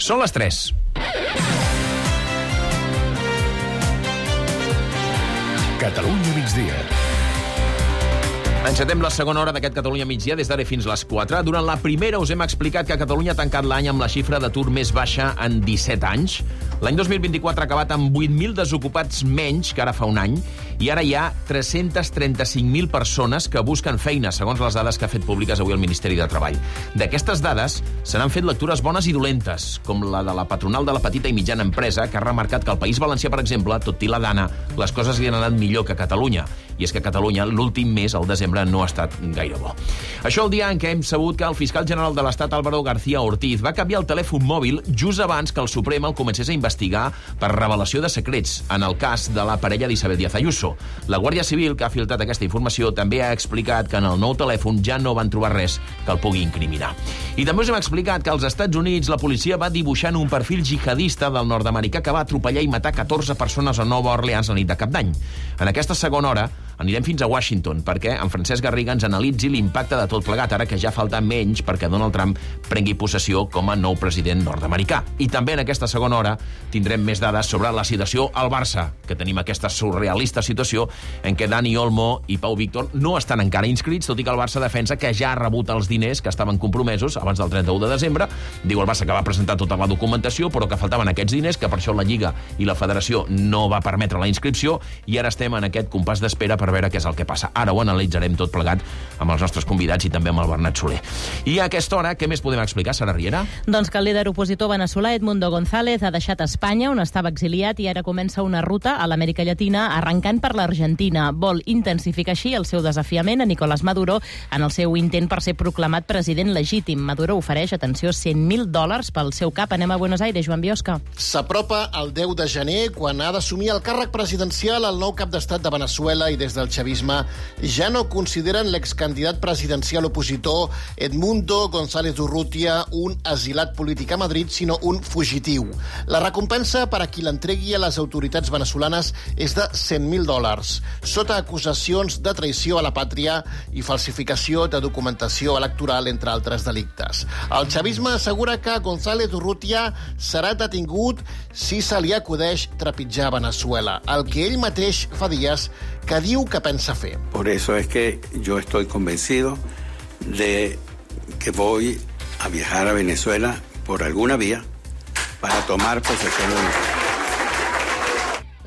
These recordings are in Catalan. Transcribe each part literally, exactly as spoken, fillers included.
Són les tres. Catalunya migdia. Encetem la segona hora d'aquest Catalunya migdia des d'ara fins les quatre. Durant la primera us hem explicat que Catalunya ha tancat l'any amb la xifra d'atur més baixa en disset anys. L'any dos mil vint-i-quatre ha acabat amb vuit mil desocupats menys que ara fa un any i ara hi ha tres-cents trenta-cinc mil persones que busquen feina, segons les dades que ha fet públiques avui el Ministeri de Treball. D'aquestes dades se n'han fet lectures bones i dolentes, com la de la patronal de la petita i mitjana empresa, que ha remarcat que al País Valencià, per exemple, tot i la dana, les coses li han anat millor que a Catalunya. I és que a Catalunya l'últim mes, el desembre, no ha estat gaire bo. Això el dia en què hem sabut que el fiscal general de l'Estat, Álvaro García Ortiz, va canviar el telèfon mòbil just abans que el Suprem el comencés a investigar per revelació de secrets en el cas de la parella d'Isabel Díaz Ayuso. La Guàrdia Civil, que ha filtrat aquesta informació, també ha explicat que en el nou telèfon ja no van trobar res que el pugui incriminar. I també us hem explicat que als Estats Units la policia va dibuixant un perfil jihadista del nord-americà que va atropellar i matar catorze persones a Nova Orleans la nit de Cap d'Any. En aquesta segona hora anirem fins a Washington perquè en Francesc Garriga ens analitzi l'impacte de tot plegat, ara que ja falta menys perquè Donald Trump prengui possessió com a nou president nord-americà. I també en aquesta segona hora tindrem més dades sobre la situació al Barça, que tenim aquesta surrealista situació en què Dani Olmo i Pau Víctor no estan encara inscrits, tot i que el Barça defensa que ja ha rebut els diners que estaven compromesos abans del trenta-u de desembre. Diu el Barça que va presentar tota la documentació, però que faltaven aquests diners, que per això la Lliga i la Federació no va permetre la inscripció, i ara estem en aquest compàs d'espera per veure què és el que passa. Ara ho analitzarem tot plegat amb els nostres convidats i també amb el Bernat Soler. I a aquesta hora, què més podem explicar, Sara Riera? Doncs que el líder opositor veneçolà Edmundo González ha deixat Espanya, on estava exiliat, i ara comença una ruta a l'Amèrica Llatina, arrencant per l'Argentina. Vol intensificar així el seu desafiament a Nicolás Maduro en el seu intent per ser proclamat president legítim. Maduro ofereix, atenció, cent mil dòlars pel seu cap. Anem a Buenos Aires, Joan Biosca. S'apropa el deu de gener, quan ha d'assumir el càrrec presidencial el nou cap d'estat de Veneçuela, i des del chavisme ja no consideren l'excandidat presidencial opositor Edmundo González Urrutia un asilat polític a Madrid, sinó un fugitiu. La recompensa per a qui l'entregui a les autoritats veneçolanes és de cent mil dòlars, sota acusacions de traïció a la pàtria i falsificació de documentació electoral, entre altres delictes. El chavisme assegura que González Urrutia serà detingut si se li acudeix trepitjar Veneçuela, el que ell mateix fa dies que diu que pensa fer. Por eso es que yo estoy convencido de que voy a viajar a Venezuela por alguna vía para tomar posesión de...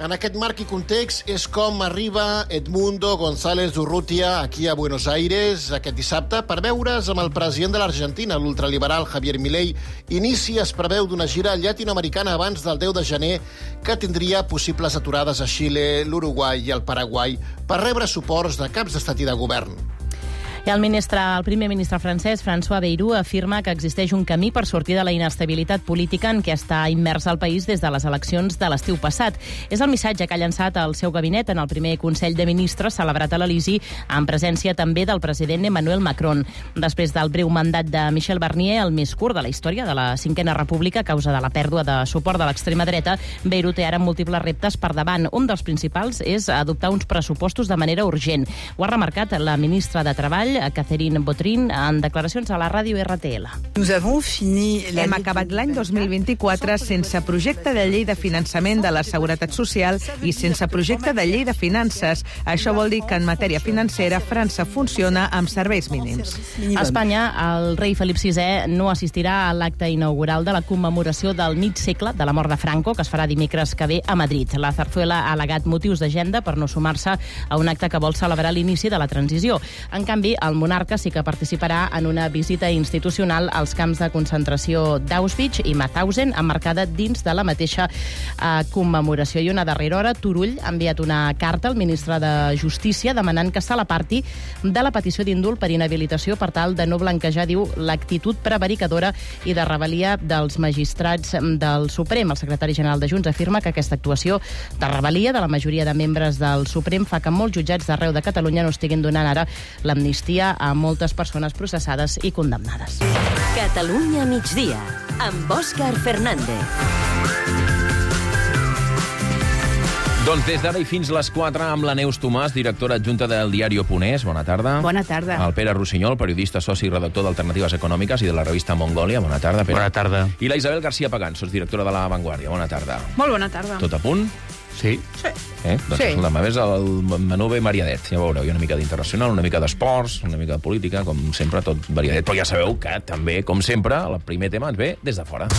En aquest marc i context és com arriba Edmundo González Urrutia aquí a Buenos Aires aquest dissabte per veure's amb el president de l'Argentina, l'ultraliberal Javier Milei. Inici es preveu d'una gira llatinoamericana abans del deu de gener que tindria possibles aturades a Xile, l'Uruguai i el Paraguai per rebre suports de caps d'estat i de govern. I el, ministre, el primer ministre francès, François Bayrou, afirma que existeix un camí per sortir de la inestabilitat política en què està immers el país des de les eleccions de l'estiu passat. És el missatge que ha llançat el seu gabinet en el primer Consell de Ministres celebrat a l'Elisi, en presència també del president Emmanuel Macron. Després del breu mandat de Michel Barnier, el més curt de la història de la Cinquena República a causa de la pèrdua de suport de l'extrema dreta, Bayrou té ara múltiples reptes per davant. Un dels principals és adoptar uns pressupostos de manera urgent. Ho ha remarcat la ministra de Treball, Catherine Vautrin, en declaracions a la ràdio R T L. Hem acabat l'any dos mil vint-i-quatre sense projecte de llei de finançament de la Seguretat Social i sense projecte de llei de finances. Això vol dir que en matèria financera França funciona amb serveis mínims. A Espanya, el rei Felip sisè no assistirà a l'acte inaugural de la commemoració del mig segle de la mort de Franco, que es farà dimecres que ve a Madrid. La Zarzuela ha al·legat motius d'agenda per no sumar-se a un acte que vol celebrar l'inici de la transició. En canvi, el monarca sí que participarà en una visita institucional als camps de concentració d'Auschwitz i Mauthausen, emmarcada dins de la mateixa eh, commemoració. I una darrera hora, Turull ha enviat una carta al ministre de Justícia demanant que se l'aparti de la petició d'indult per inhabilitació per tal de no blanquejar, diu, l'actitud prevaricadora i de rebel·lia dels magistrats del Suprem. El secretari general de Junts afirma que aquesta actuació de rebel·lia de la majoria de membres del Suprem fa que molts jutjats d'arreu de Catalunya no estiguin donant ara l'amnistia a moltes persones processades i condemnades. Catalunya migdia, amb Òscar Fernández. Doncs des d'ara i fins les quatre amb la Neus Tomàs, directora adjunta del diari Oponès. Bona tarda. Bona tarda. El Pere Rossinyol, periodista, soci i redactor d'Alternatives Econòmiques i de la revista Mongòlia. Bona tarda, Pere. Bona tarda. I la Isabel García Pagán, sotsdirectora de La Vanguardia. Bona tarda. Molt bona tarda. Tot a punt? Sí. Sí. Eh? Doncs Sí. escolta, m'ha vist el menú ben variadet. Ja veureu, hi ha una mica d'internacional, una mica d'esports, una mica de política, com sempre, tot variadet. Però ja sabeu que també, com sempre, el primer tema ens ve des de fora.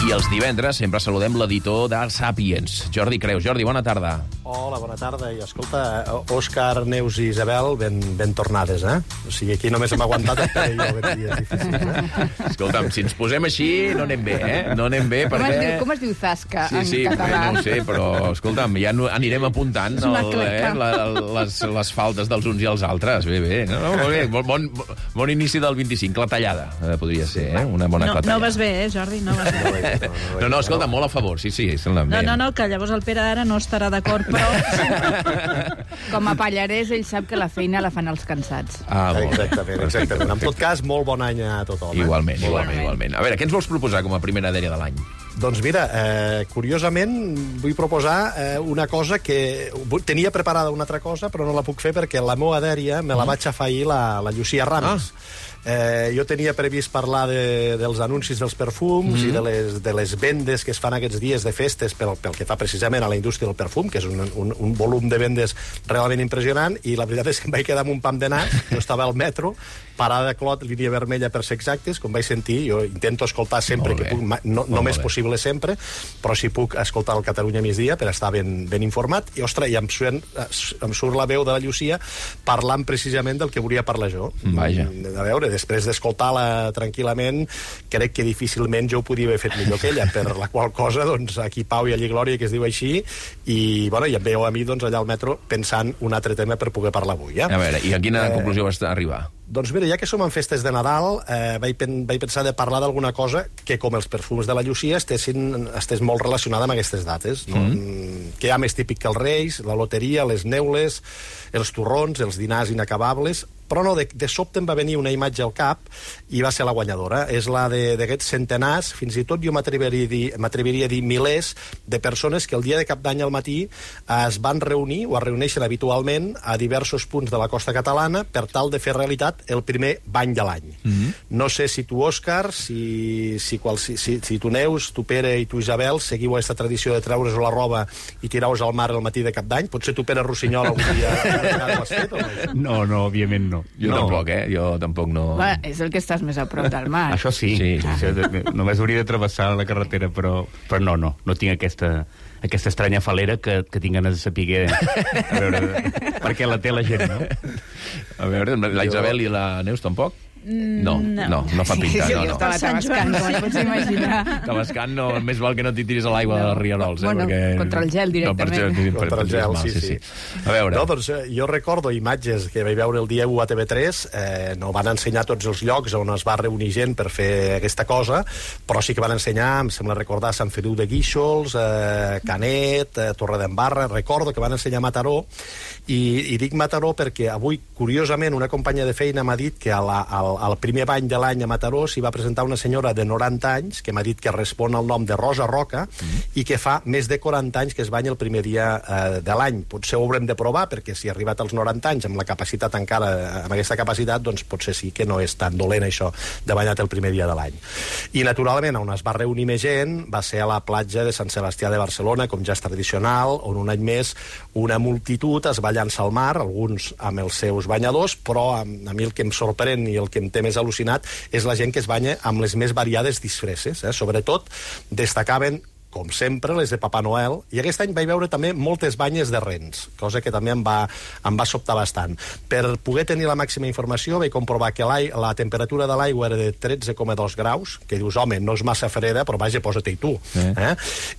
I els divendres sempre saludem l'editor de Sàpiens, Jordi Creus. Jordi, bona tarda. Hola, bona tarda. I escolta, Òscar, Neus i Isabel, ben, ben tornades, eh? O sigui, aquí només hem aguantat el Pere i jo aquests dies difícils, eh? Escolta'm, si ens posem així, no anem bé, eh? No anem bé Com perquè... es diu, com es diu Zasca Sí, en sí, català? no ho sé, però, escolta'm, ja no, anirem apuntant És una el, cleca. eh, la, les, les faltes dels uns i els altres. Bé, bé. No, no, molt bé. Bon, bon, bon inici del vint-i-cinc. La tallada, eh, podria ser, eh? Una bona No, clatallada. no vas bé, eh, Jordi? No vas bé. No, no, escolta, molt a favor, sí, sí. No, no, no, que llavors el Pere ara no estarà d'acord, però... Com a pallarès, ell sap que la feina la fan els cansats. Ah, molt bé. Exactament, exactament. En tot cas, molt bon any a tothom. Eh? Igualment, igualment, Igualment. igualment. A veure, què ens vols proposar com a primera dèria de l'any? Doncs mira, eh, curiosament vull proposar eh, una cosa que... Tenia preparada una altra cosa, però no la puc fer perquè la meva dèria me la vaig afegir la, la Llucia Ramis. Ah. Eh, jo tenia previst parlar de, dels anuncis dels perfums mm-hmm. i de les, de les vendes que es fan aquests dies de festes pel, pel que fa precisament a la indústria del perfum, que és un, un, un volum de vendes realment impressionant, i la veritat és que em vaig quedar amb un pam de nas. Jo estava al metro, parada de Clot, línia vermella per ser exactes, com vaig sentir. Jo intento escoltar sempre que puc, no, no més possible sempre, però si puc escoltar el Catalunya migdia per estar ben, ben informat, i ostres, i em, suen, em surt la veu de la Llucia parlant precisament del que volia parlar jo. Vaja. A veure, després d'escoltar-la tranquil·lament, crec que difícilment jo ho podia haver fet millor que ella, per la qual cosa, doncs, aquí pau i allí glòria, que es diu així, i, bueno, i em veieu a mi, doncs, allà al metro pensant un altre tema per poder parlar avui, eh? A veure, i a quina Eh, conclusió vas arribar? Doncs mira, ja que som en festes de Nadal, eh, vaig, pen, vaig pensar de parlar d'alguna cosa que, com els perfums de la Llucia, estessin, estés molt relacionada amb aquestes dates, no? Mm. Que hi ha més típic que els Reis, la loteria, les neules, els torrons, els dinars inacabables, però no, de, de sobte em va venir una imatge al cap i va ser la guanyadora. És la d'aquests centenars, fins i tot jo m'atreviria a dir, m'atreviria a dir milers de persones que el dia de Cap d'Any al matí es van reunir o es reuneixen habitualment a diversos punts de la costa catalana per tal de fer realitat el primer bany de l'any. Mm-hmm. No sé si tu, Òscar, si, si, qual, si, si, si tu, Neus, tu, Pere, i tu, Isabel, seguiu aquesta tradició de treure's la roba i tirar-vos al mar al matí de Cap d'Any. Potser tu, Pere Rossinyol, algun dia ho has fet o no? No, no, òbviament no. Jo No. tampoc, eh? Jo tampoc no... Va, és el que estàs més a prop del mar. Això sí, Sí. sí. Això, de- només hauria de travessar la carretera, però, però no, no, no tinc aquesta, aquesta estranya falera que, que tinc ganes de saber a veure, per què la té la gent, no? A veure, la Isabel i la Neus tampoc? No, no, no, no fa pinta, Sí, no, jo no. estava tabascant, com et pots imaginar. Tabascant no, més val que no t'hi tiris a l'aigua dels rierols, eh? Bueno, perquè... contra el gel directament. No, per, per, Contra el gel, sí, sí. A veure... No, doncs eh, jo recordo imatges que vaig veure el dia u a T V tres, eh, no van ensenyar tots els llocs on es va reunir gent per fer aquesta cosa, però sí que van ensenyar, em sembla recordar, Sant Feliu de Guíxols, eh, Canet, eh, Torredembarra, recordo que van ensenyar Mataró, i, i dic Mataró perquè avui, curiosament, una companya de feina m'ha dit que a la, al, al primer bany de l'any a Mataró s'hi va presentar una senyora de noranta anys que m'ha dit que respon al nom de Rosa Roca mm. i que fa més de quaranta anys que es banya el primer dia eh, de l'any. Potser ho haurem de provar, perquè si ha arribat als noranta anys amb la capacitat encara, amb aquesta capacitat, doncs potser sí que no és tan dolent això de banyar el primer dia de l'any. I naturalment on es va reunir més gent va ser a la platja de Sant Sebastià de Barcelona, com ja és tradicional, on un any més una multitud es va llançar al mar, alguns amb els seus banyadors, però a, a mi el que em sorprèn i el que em té més al·lucinat és la gent que es banya amb les més variades disfresses. Eh? Sobretot destacaven, com sempre, les de Papa Noel, i aquest any vaig veure també moltes banyes de rens, cosa que també em va, em va sobtar bastant. Per poder tenir la màxima informació vaig comprovar que la temperatura de l'aigua era de tretze coma dos graus, que dius, home, no és massa freda, però vaja, posa-t'hi tu. Eh? Eh?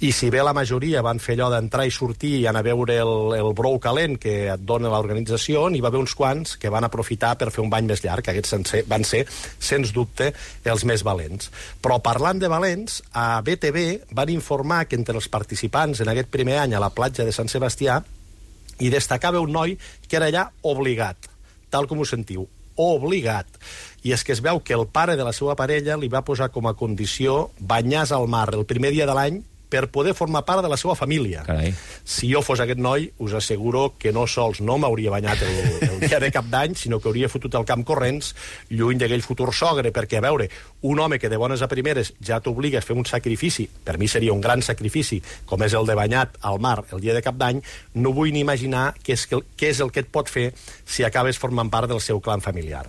I si bé la majoria van fer allò d'entrar i sortir i anar a veure el, el brou calent que et dona l'organització, n'hi va haver uns quants que van aprofitar per fer un bany més llarg, que aquests van ser, sens dubte, els més valents. Però parlant de valents, a B T V van informar que entre els participants en aquest primer any a la platja de Sant Sebastià hi destacava un noi que era allà obligat, tal com ho sentiu, obligat. I és que es veu que el pare de la seva parella li va posar com a condició banyar-se al mar el primer dia de l'any per poder formar part de la seva família. Carai. Si jo fos aquest noi, us asseguro que no sols no m'hauria banyat el, el dia de cap d'any, sinó que hauria fotut el camp corrents lluny d'aquell futur sogre, perquè, a veure, un home que de bones a primeres ja t'obliga a fer un sacrifici, per mi seria un gran sacrifici, com és el de banyat al mar el dia de cap d'any, no vull ni imaginar què és, què és el que et pot fer si acabes formant part del seu clan familiar.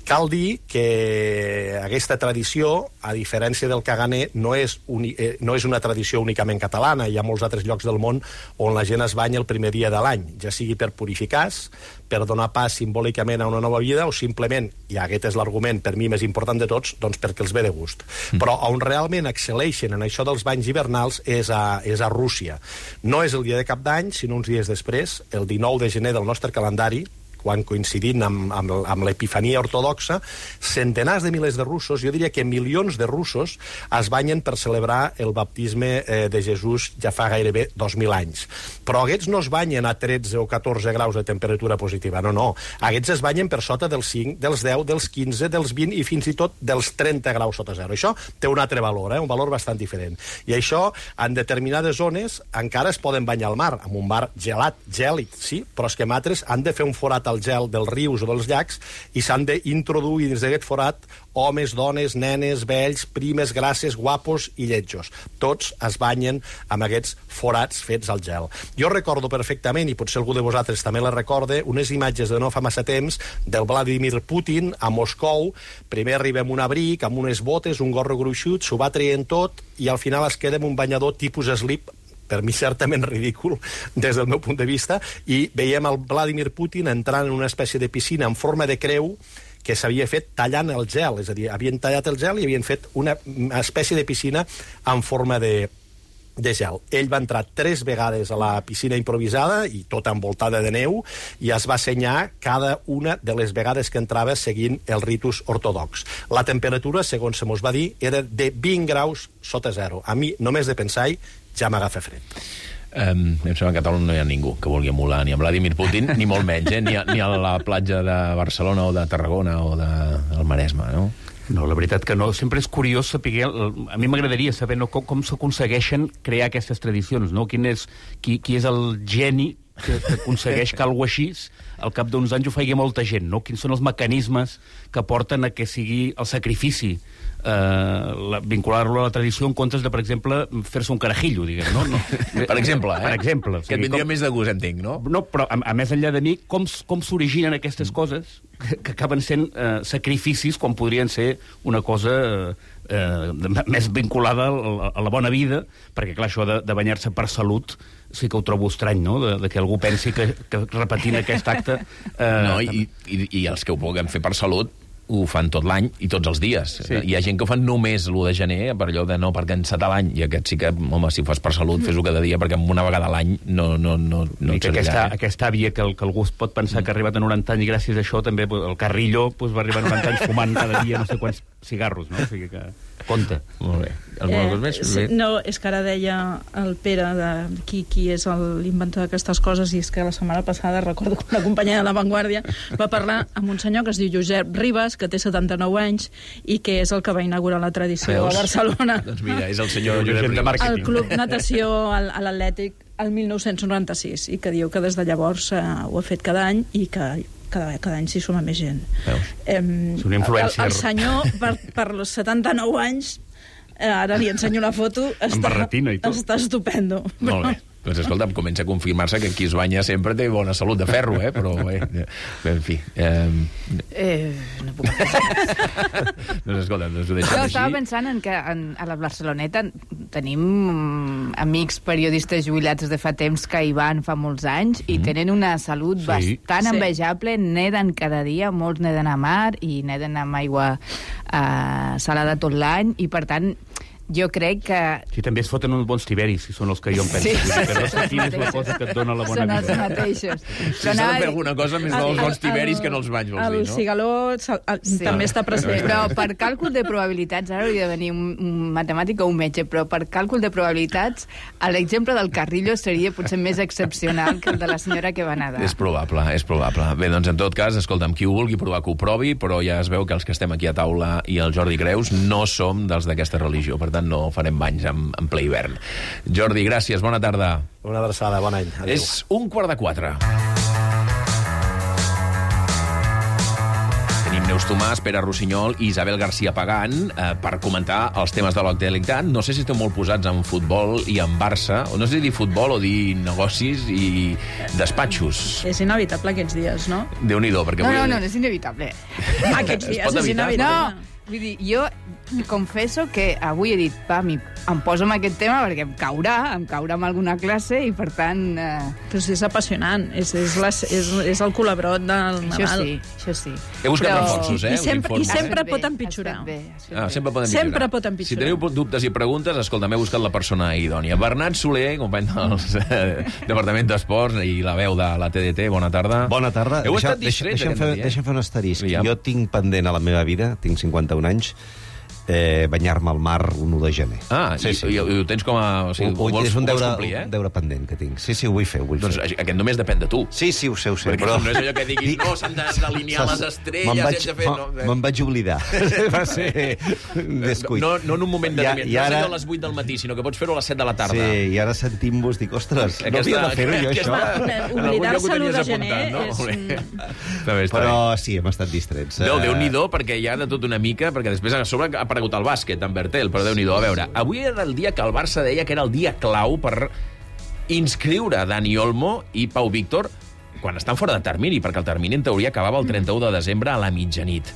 Cal dir que aquesta tradició, a diferència del caganer, no és, uni, eh, no és una tradició únicament catalana. Hi ha molts altres llocs del món on la gent es banya el primer dia de l'any, ja sigui per purificar-se, per donar pas simbòlicament a una nova vida, o simplement, i aquest és l'argument per mi més important de tots, doncs perquè els ve de gust. Mm. Però on realment excel·leixen en això dels banys hivernals és a, és a Rússia. No és el dia de cap d'any, sinó uns dies després, el dinou de gener del nostre calendari, quan coincidint amb, amb, amb l'epifania ortodoxa, centenars de milers de russos, jo diria que milions de russos, es banyen per celebrar el baptisme eh, de Jesús ja fa gairebé dos mil anys. Però aquests no es banyen a tretze o catorze graus de temperatura positiva, no, no. Aquests es banyen per sota dels cinc, dels deu, dels quinze, dels vint i fins i tot dels trenta graus sota zero. Això té un altre valor, eh? Un valor bastant diferent. I això, en determinades zones, encara es poden banyar al mar, amb un mar gelat, gèlid, sí, però és que en altres han de fer un forat al gel dels rius o dels llacs i s'han d'introduir dins d'aquest forat homes, dones, nenes, vells, primes, grasses, guapos i lletjos. Tots es banyen amb aquests forats fets al gel. Jo recordo perfectament, i potser algú de vosaltres també la recorde, unes imatges de no fa massa temps del Vladimir Putin a Moscou. Primer arriba amb un abric, amb unes botes, un gorro gruixut, s'ho va traient tot i al final es queda amb un banyador tipus slip, per mi certament ridícul des del meu punt de vista, i veiem el Vladimir Putin entrant en una espècie de piscina en forma de creu que s'havia fet tallant el gel, és a dir, havien tallat el gel i havien fet una espècie de piscina en forma de, de gel. Ell va entrar tres vegades a la piscina improvisada i tota envoltada de neu i es va assenyar cada una de les vegades que entrava seguint el ritus ortodox. La temperatura, segons se mos va dir, era de vint graus sota zero. A mi, només de pensar-hi, ja m'agafa fred. Um, em sembla que a Catalunya no hi ha ningú que vulgui emular ni a Vladimir Putin, ni molt menys, eh? ni, a, ni a la platja de Barcelona o de Tarragona o de, del Maresme, no? No, la veritat que no. Sempre és curiós saber... A mi m'agradaria saber no, com, com s'aconsegueixen crear aquestes tradicions, no? Quin és, qui, qui és el geni que, que aconsegueix que alguna així al cap d'uns anys ho faci molta gent, no? Quins són els mecanismes que porten a que sigui el sacrifici, eh, vincular-lo a la tradició en comptes de, per exemple, fer-se un carajillo, diguem, no? no. Per exemple, eh? Per exemple. Que et vindria com... més de gust, entenc, no? No, però a, a més enllà de mi, com, com s'originen aquestes mm. coses que, que acaben sent eh, sacrificis quan podrien ser una cosa eh, eh, més vinculada a, a la bona vida, perquè, clar, això de, de banyar-se per salut sí que ho trobo estrany, no?, de, de que algú pensi que, que repetint aquest acte... Eh, no, i, i, i els que ho puguem fer per salut ho fan tot l'any i tots els dies. Sí. Hi ha gent que ho fan només l'u de gener, per allò de no, perquè encetar l'any, i aquest sí que, home, si ho fas per salut, fes-ho cada dia, perquè una vegada a l'any no, no, no, no et servirà. Aquesta, eh? aquesta àvia que, que algú pot pensar que ha arribat a noranta anys i gràcies a això també el Carrillo pues, va arribar a noranta anys fumant cada dia no sé quants cigarros, no? O sigui que compte. Molt bé. Alguna cosa més? Eh, no, és que ara deia el Pere de qui, qui és l'inventor d'aquestes coses, i és que la setmana passada recordo que una companya de La Vanguardia va parlar amb un senyor que es diu Josep Ribas, que té setanta-nou anys i que és el que va inaugurar la tradició Veus? a Barcelona. Doncs mira, és el senyor Josep Ribas. El Club Natació a l'Atlètic el mil nou-cents noranta-sis, i que diu que des de llavors eh, ho ha fet cada any i que cada, cada any s'hi suma més gent. Veus? Eh, és una influència. El, el senyor, per, per els setanta-nou anys, eh, ara li ensenyo la foto, està, està estupendo. Molt bé. Doncs escolta, comença a confirmar-se que qui es banya sempre té bona salut de ferro, eh? Però, bé, en fi... Eh... Eh, no puc pensar. Doncs escolta, doncs ho deixem jo així. estava pensant en que en, a la Barceloneta tenim amics periodistes jubilats de fa temps que hi van fa molts anys i mm. tenen una salut sí. bastant sí. envejable, neden cada dia, molts neden a mar i neden amb aigua eh, salada tot l'any, i per tant jo crec que... Sí, també es foten uns bons tiberis, si són els que jo em penso. Sí, sí, que no sí, sé quina és la cosa que et dona la bona són vida. els mateixos. Si s'ha de fer alguna cosa, més val els bons tiberis que no els banys, vols dir, El no? cigaló sí. també està present. Però per càlcul de probabilitats, ara hauria de venir un, un matemàtic o un metge, però per càlcul de probabilitats, l'exemple del Carrillo seria potser més excepcional que el de la senyora que va nedar. És probable, és probable. Bé, doncs en tot cas, escolta'm, qui ho vulgui provar que ho provi, però ja es veu que els que estem aquí a taula i el Jordi Creus no som dels d'aquesta religió, per tant no farem banys en, en ple hivern. Jordi, gràcies, bona tarda. Una abraçada, bon any. Adéu. És un quart de quatre. Tenim Neus Tomàs, Pere Rossinyol i Isabel García Pagán eh, per comentar els temes de l'actualitat. No sé si esteu molt posats en futbol i en Barça, o no sé si dir futbol o dir negocis i despatxos. És inevitable aquests dies, no? Déu-n'hi-do, perquè... No, avui... no, no, és inevitable. Aquests dies és inevitable. No, vull dir, jo confesso que avui he dit, pa, mi, em poso amb aquest tema perquè em caurà, em caurà amb alguna classe i, per tant... Eh... Però sí, és apassionant. És, és, la, és, és el colabrot del això Nadal. Sí, això sí. He buscat Però... reforços, eh? I sempre, i sempre bé, pot empitjorar. Bé, ah, sempre pot empitjorar. Sempre pot empitjorar. Si teniu dubtes i preguntes, escolta, m'he buscat la persona idònia. Bernat Soler, company del eh, Departament d'Esports i la veu de la T D T, bona tarda. Bona tarda. Heu Deixa, estat distrets deixa'm, aquest fer, matí, eh? deixa'm fer un asterisc. Ja. Jo tinc pendent a la meva vida, tinc cinquanta-un anys, eh, banyar-me al mar un u de gener. Ah, sí, i, sí. i, i ho tens com a... O sigui, ho, ho vols, és un ho vols deure, complir, eh? un deure pendent que tinc. Sí, sí, ho vull fer, ho vull doncs fer. Aquest només depèn de tu. Sí, sí, ho sé, ho sé. Perquè però... no és allò que diguis, no, s'han d'alinear les estrelles, me'n vaig, hem de fer... No, me'n vaig oblidar. Va ser descuit. No, no en un moment de... Ja, no i ara... és allò a les vuit del matí, sinó que pots fer-ho a les set de la tarda. Sí, i ara sentim-vos, dic, ostres, no havia de fer-ho jo, això. Oblidar-se l'u de gener no? és... Però sí, hem estat distrets. Déu, Déu-n'hi-do, perquè hi ha de tot una mica, perquè després a sobre ha aparegut el bàsquet, en Bertel, però Déu-n'hi-do. A veure, avui era el dia que el Barça deia que era el dia clau per inscriure Dani Olmo i Pau Víctor quan estan fora de termini, perquè el termini en teoria acabava el trenta-u de desembre a la mitjanit.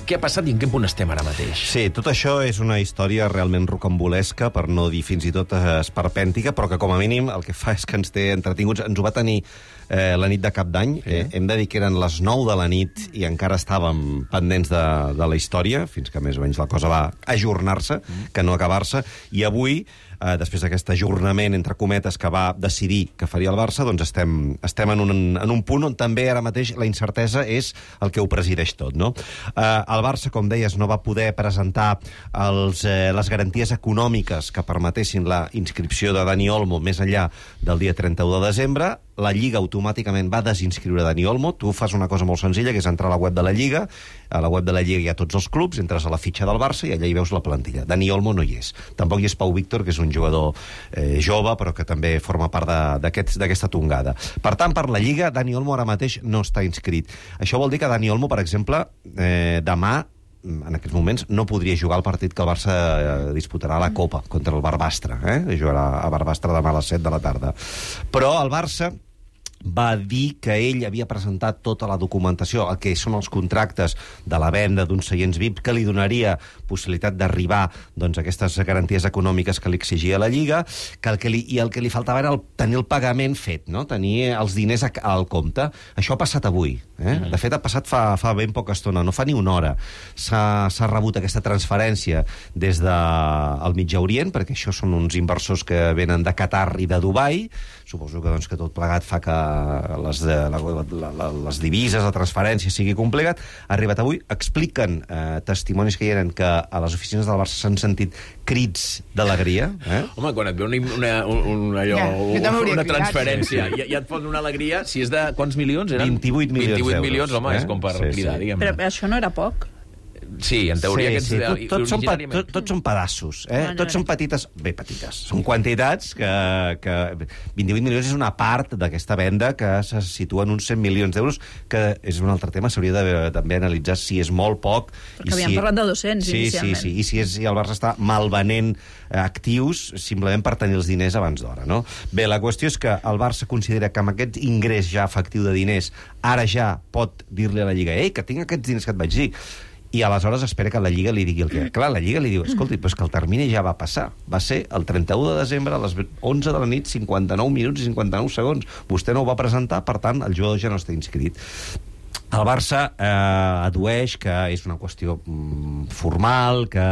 Què ha passat i en quin punt estem ara mateix? Sí, tot això és una història realment rocambolesca, per no dir fins i tot esperpèntica, però que com a mínim el que fa és que ens té entretinguts. Ens ho va tenir eh, la nit de Cap d'Any. Sí. Eh, hem de dir que eren les nou de la nit i encara estàvem pendents de, de la història, fins que més o menys la cosa va ajornar-se, mm. que no acabar-se. I avui, eh, després d'aquest ajornament, entre cometes, que va decidir que faria el Barça, doncs estem, estem en, un, en un punt on també ara mateix la incertesa és el que ho presideix tot, no? Eh, el Barça, com deies, no va poder presentar els, eh, les garanties econòmiques que permetessin la inscripció de Dani Olmo més enllà del dia trenta-u de desembre. La Lliga automàticament va desinscriure Dani Olmo. Tu fas una cosa molt senzilla, que és entrar a la web de la Lliga. A la web de la Lliga hi ha tots els clubs, entres a la fitxa del Barça i allà hi veus la plantilla. Dani Olmo no hi és. Tampoc hi és Pau Víctor, que és un jugador eh, jove, però que també forma part d'aquesta aquest, tongada. Per tant, per la Lliga, Dani Olmo ara mateix no està inscrit. Això vol dir que Dani Olmo, per exemple, eh, demà, en aquests moments, no podria jugar el partit que el Barça disputarà a la Copa contra el Barbastre. Eh? Jugarà a Barbastre demà a les set de la tarda. Però el Barça va dir que ell havia presentat tota la documentació, el que són els contractes de la venda d'uns seients V I P, que li donaria possibilitat d'arribar doncs, a aquestes garanties econòmiques que li exigia la Lliga, que el que li, i el que li faltava era el, tenir el pagament fet, no? Tenir els diners a, al compte. Això ha passat avui. Eh? Mm. De fet, ha passat fa, fa ben poca estona, no fa ni una hora. S'ha rebut aquesta transferència des del de, Mitjà Orient, perquè això són uns inversors que venen de Qatar i de Dubai. Suposo que, doncs, que tot plegat fa que les, la, la, la, les divises, la transferència sigui complicat. Ha arribat avui, expliquen eh, testimonis que hi eren que a les oficines del Barça s'han sentit crits d'alegria. Eh? Home, quan et ve una, una, una, allò, ja, una transferència i ja, ja et fot una alegria, si és de quants milions eren? vint-i-vuit milions vint-i-vuit milions, home, eh? és com per sí, cridar, sí. diguem. Però això no era poc? Sí, en teoria... Sí, aquests, sí. Tot, tot, són, tot, tots són pedaços. Eh? No, no, tots no. són petites... Bé, petites. Són quantitats que... que vint-i-vuit milions és una part d'aquesta venda que se situa en uns cent milions d'euros, que és un altre tema, s'hauria de també analitzar si és molt poc... Perquè havíem si... parlat de dos-cents, sí, inicialment. Sí, sí, i si, és, si el Barça està malvenent actius simplement per tenir els diners abans d'hora, no? Bé, la qüestió és que el Barça considera que amb aquest ingrés ja efectiu de diners ara ja pot dir-li a la Lliga ei, que tinc aquests diners que et vaig dir. I aleshores espera que la Lliga li digui el que... Clar, la Lliga li diu, escolti, però és que el termini ja va passar. Va ser el trenta-u de desembre a les onze de la nit, cinquanta-nou minuts i cinquanta-nou segons. Vostè no ho va presentar, per tant, el jugador ja no està inscrit. El Barça eh, adueix que és una qüestió mm, formal, que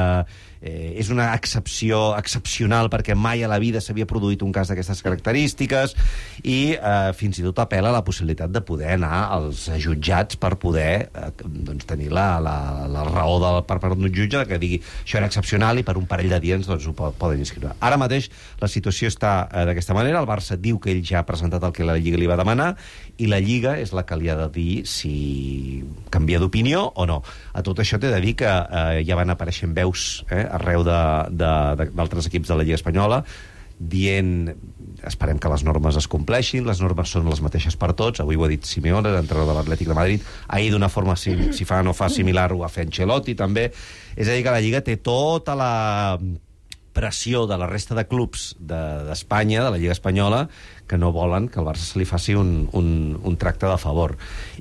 eh, és una excepció excepcional perquè mai a la vida s'havia produït un cas d'aquestes característiques i eh, fins i tot apel·la a la possibilitat de poder anar als jutjats per poder eh, doncs, tenir la, la, la raó del, per part d'un jutge que digui això era excepcional i per un parell de dies doncs, ho poden inscriure. Ara mateix la situació està eh, d'aquesta manera. El Barça diu que ell ja ha presentat el que la Lliga li va demanar i la Lliga és la que li ha de dir si canvia d'opinió o no. A tot això t'he de dir que eh, ja van apareixent veus eh, arreu d'altres equips de la Lliga Espanyola dient, esperem que les normes es compleixin, les normes són les mateixes per tots, avui ho ha dit Simeone, l'entrenador de l'Atlètic de Madrid, ahir d'una forma, si, si fa o no fa similar, ho va fer Ancelotti també, és a dir que la Lliga té tota la pressió de la resta de clubs d'Espanya, de, de la Lliga Espanyola, que no volen que al Barça se li faci un, un, un tracte de favor.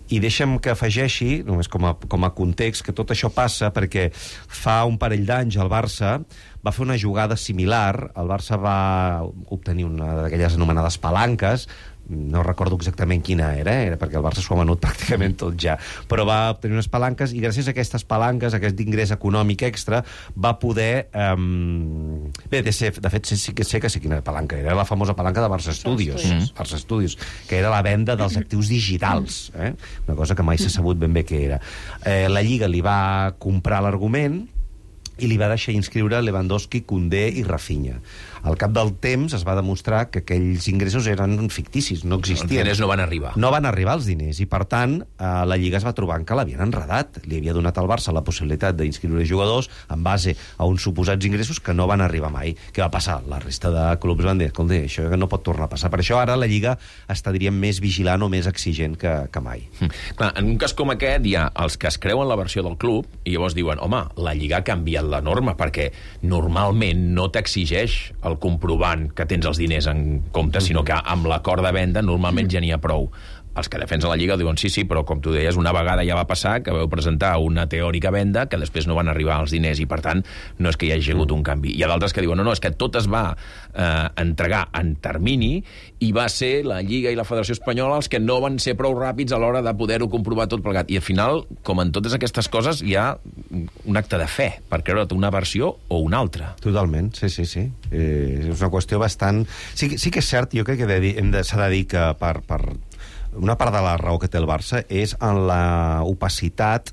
I deixa'm que afegeixi, només com a, com a context, que tot això passa perquè fa un parell d'anys el Barça va fer una jugada similar. El Barça va obtenir una d'aquelles anomenades palanques, no recordo exactament quina era, era perquè el Barça s'ho ha venut pràcticament tot ja, però va obtenir unes palanques i gràcies a aquestes palanques, a aquest ingrés econòmic extra, va poder... Um... Bé, de, ser, de fet, sé que sé que sé quina palanca era, la famosa palanca de Barça Studios, mm. Barça Studios, que era la venda dels actius digitals, eh? Una cosa que mai s'ha sabut ben bé què era. Eh, la Lliga li va comprar l'argument i li va deixar inscriure Lewandowski, Koundé i Rafinha. Al cap del temps es va demostrar que aquells ingressos eren ficticis, no existien. Els diners no van arribar. No van arribar els diners, i per tant eh, la Lliga es va trobar que l'havien enredat. Li havia donat al Barça la possibilitat d'inscriure jugadors en base a uns suposats ingressos que no van arribar mai. Què va passar? La resta de clubs van dir, escolta, això no pot tornar a passar. Per això ara la Lliga està, diríem, més vigilant o més exigent que, que mai. Mm. Clar, en un cas com aquest hi ha els que es creuen la versió del club i llavors diuen, home, la Lliga ha canviat la norma perquè normalment no t'exigeix el comprovant que tens els diners en compte, sinó que amb l'acord de venda normalment ja n'hi ha prou. Els que defensen la Lliga diuen sí, sí, però com tu deies, una vegada ja va passar que vau presentar una teòrica venda que després no van arribar als diners i, per tant, no és que hi hagi hagut un canvi. Hi ha d'altres que diuen, no, no, és que tot es va eh, entregar en termini i va ser la Lliga i la Federació Espanyola els que no van ser prou ràpids a l'hora de poder-ho comprovar tot plegat. I al final, com en totes aquestes coses, hi ha un acte de fe per creure't una versió o una altra. Totalment, sí, sí, sí. Eh, és una qüestió bastant... Sí, sí que és cert, jo crec que de, de, s'ha de dir que per... per... Una part de la raó que té el Barça és en la opacitat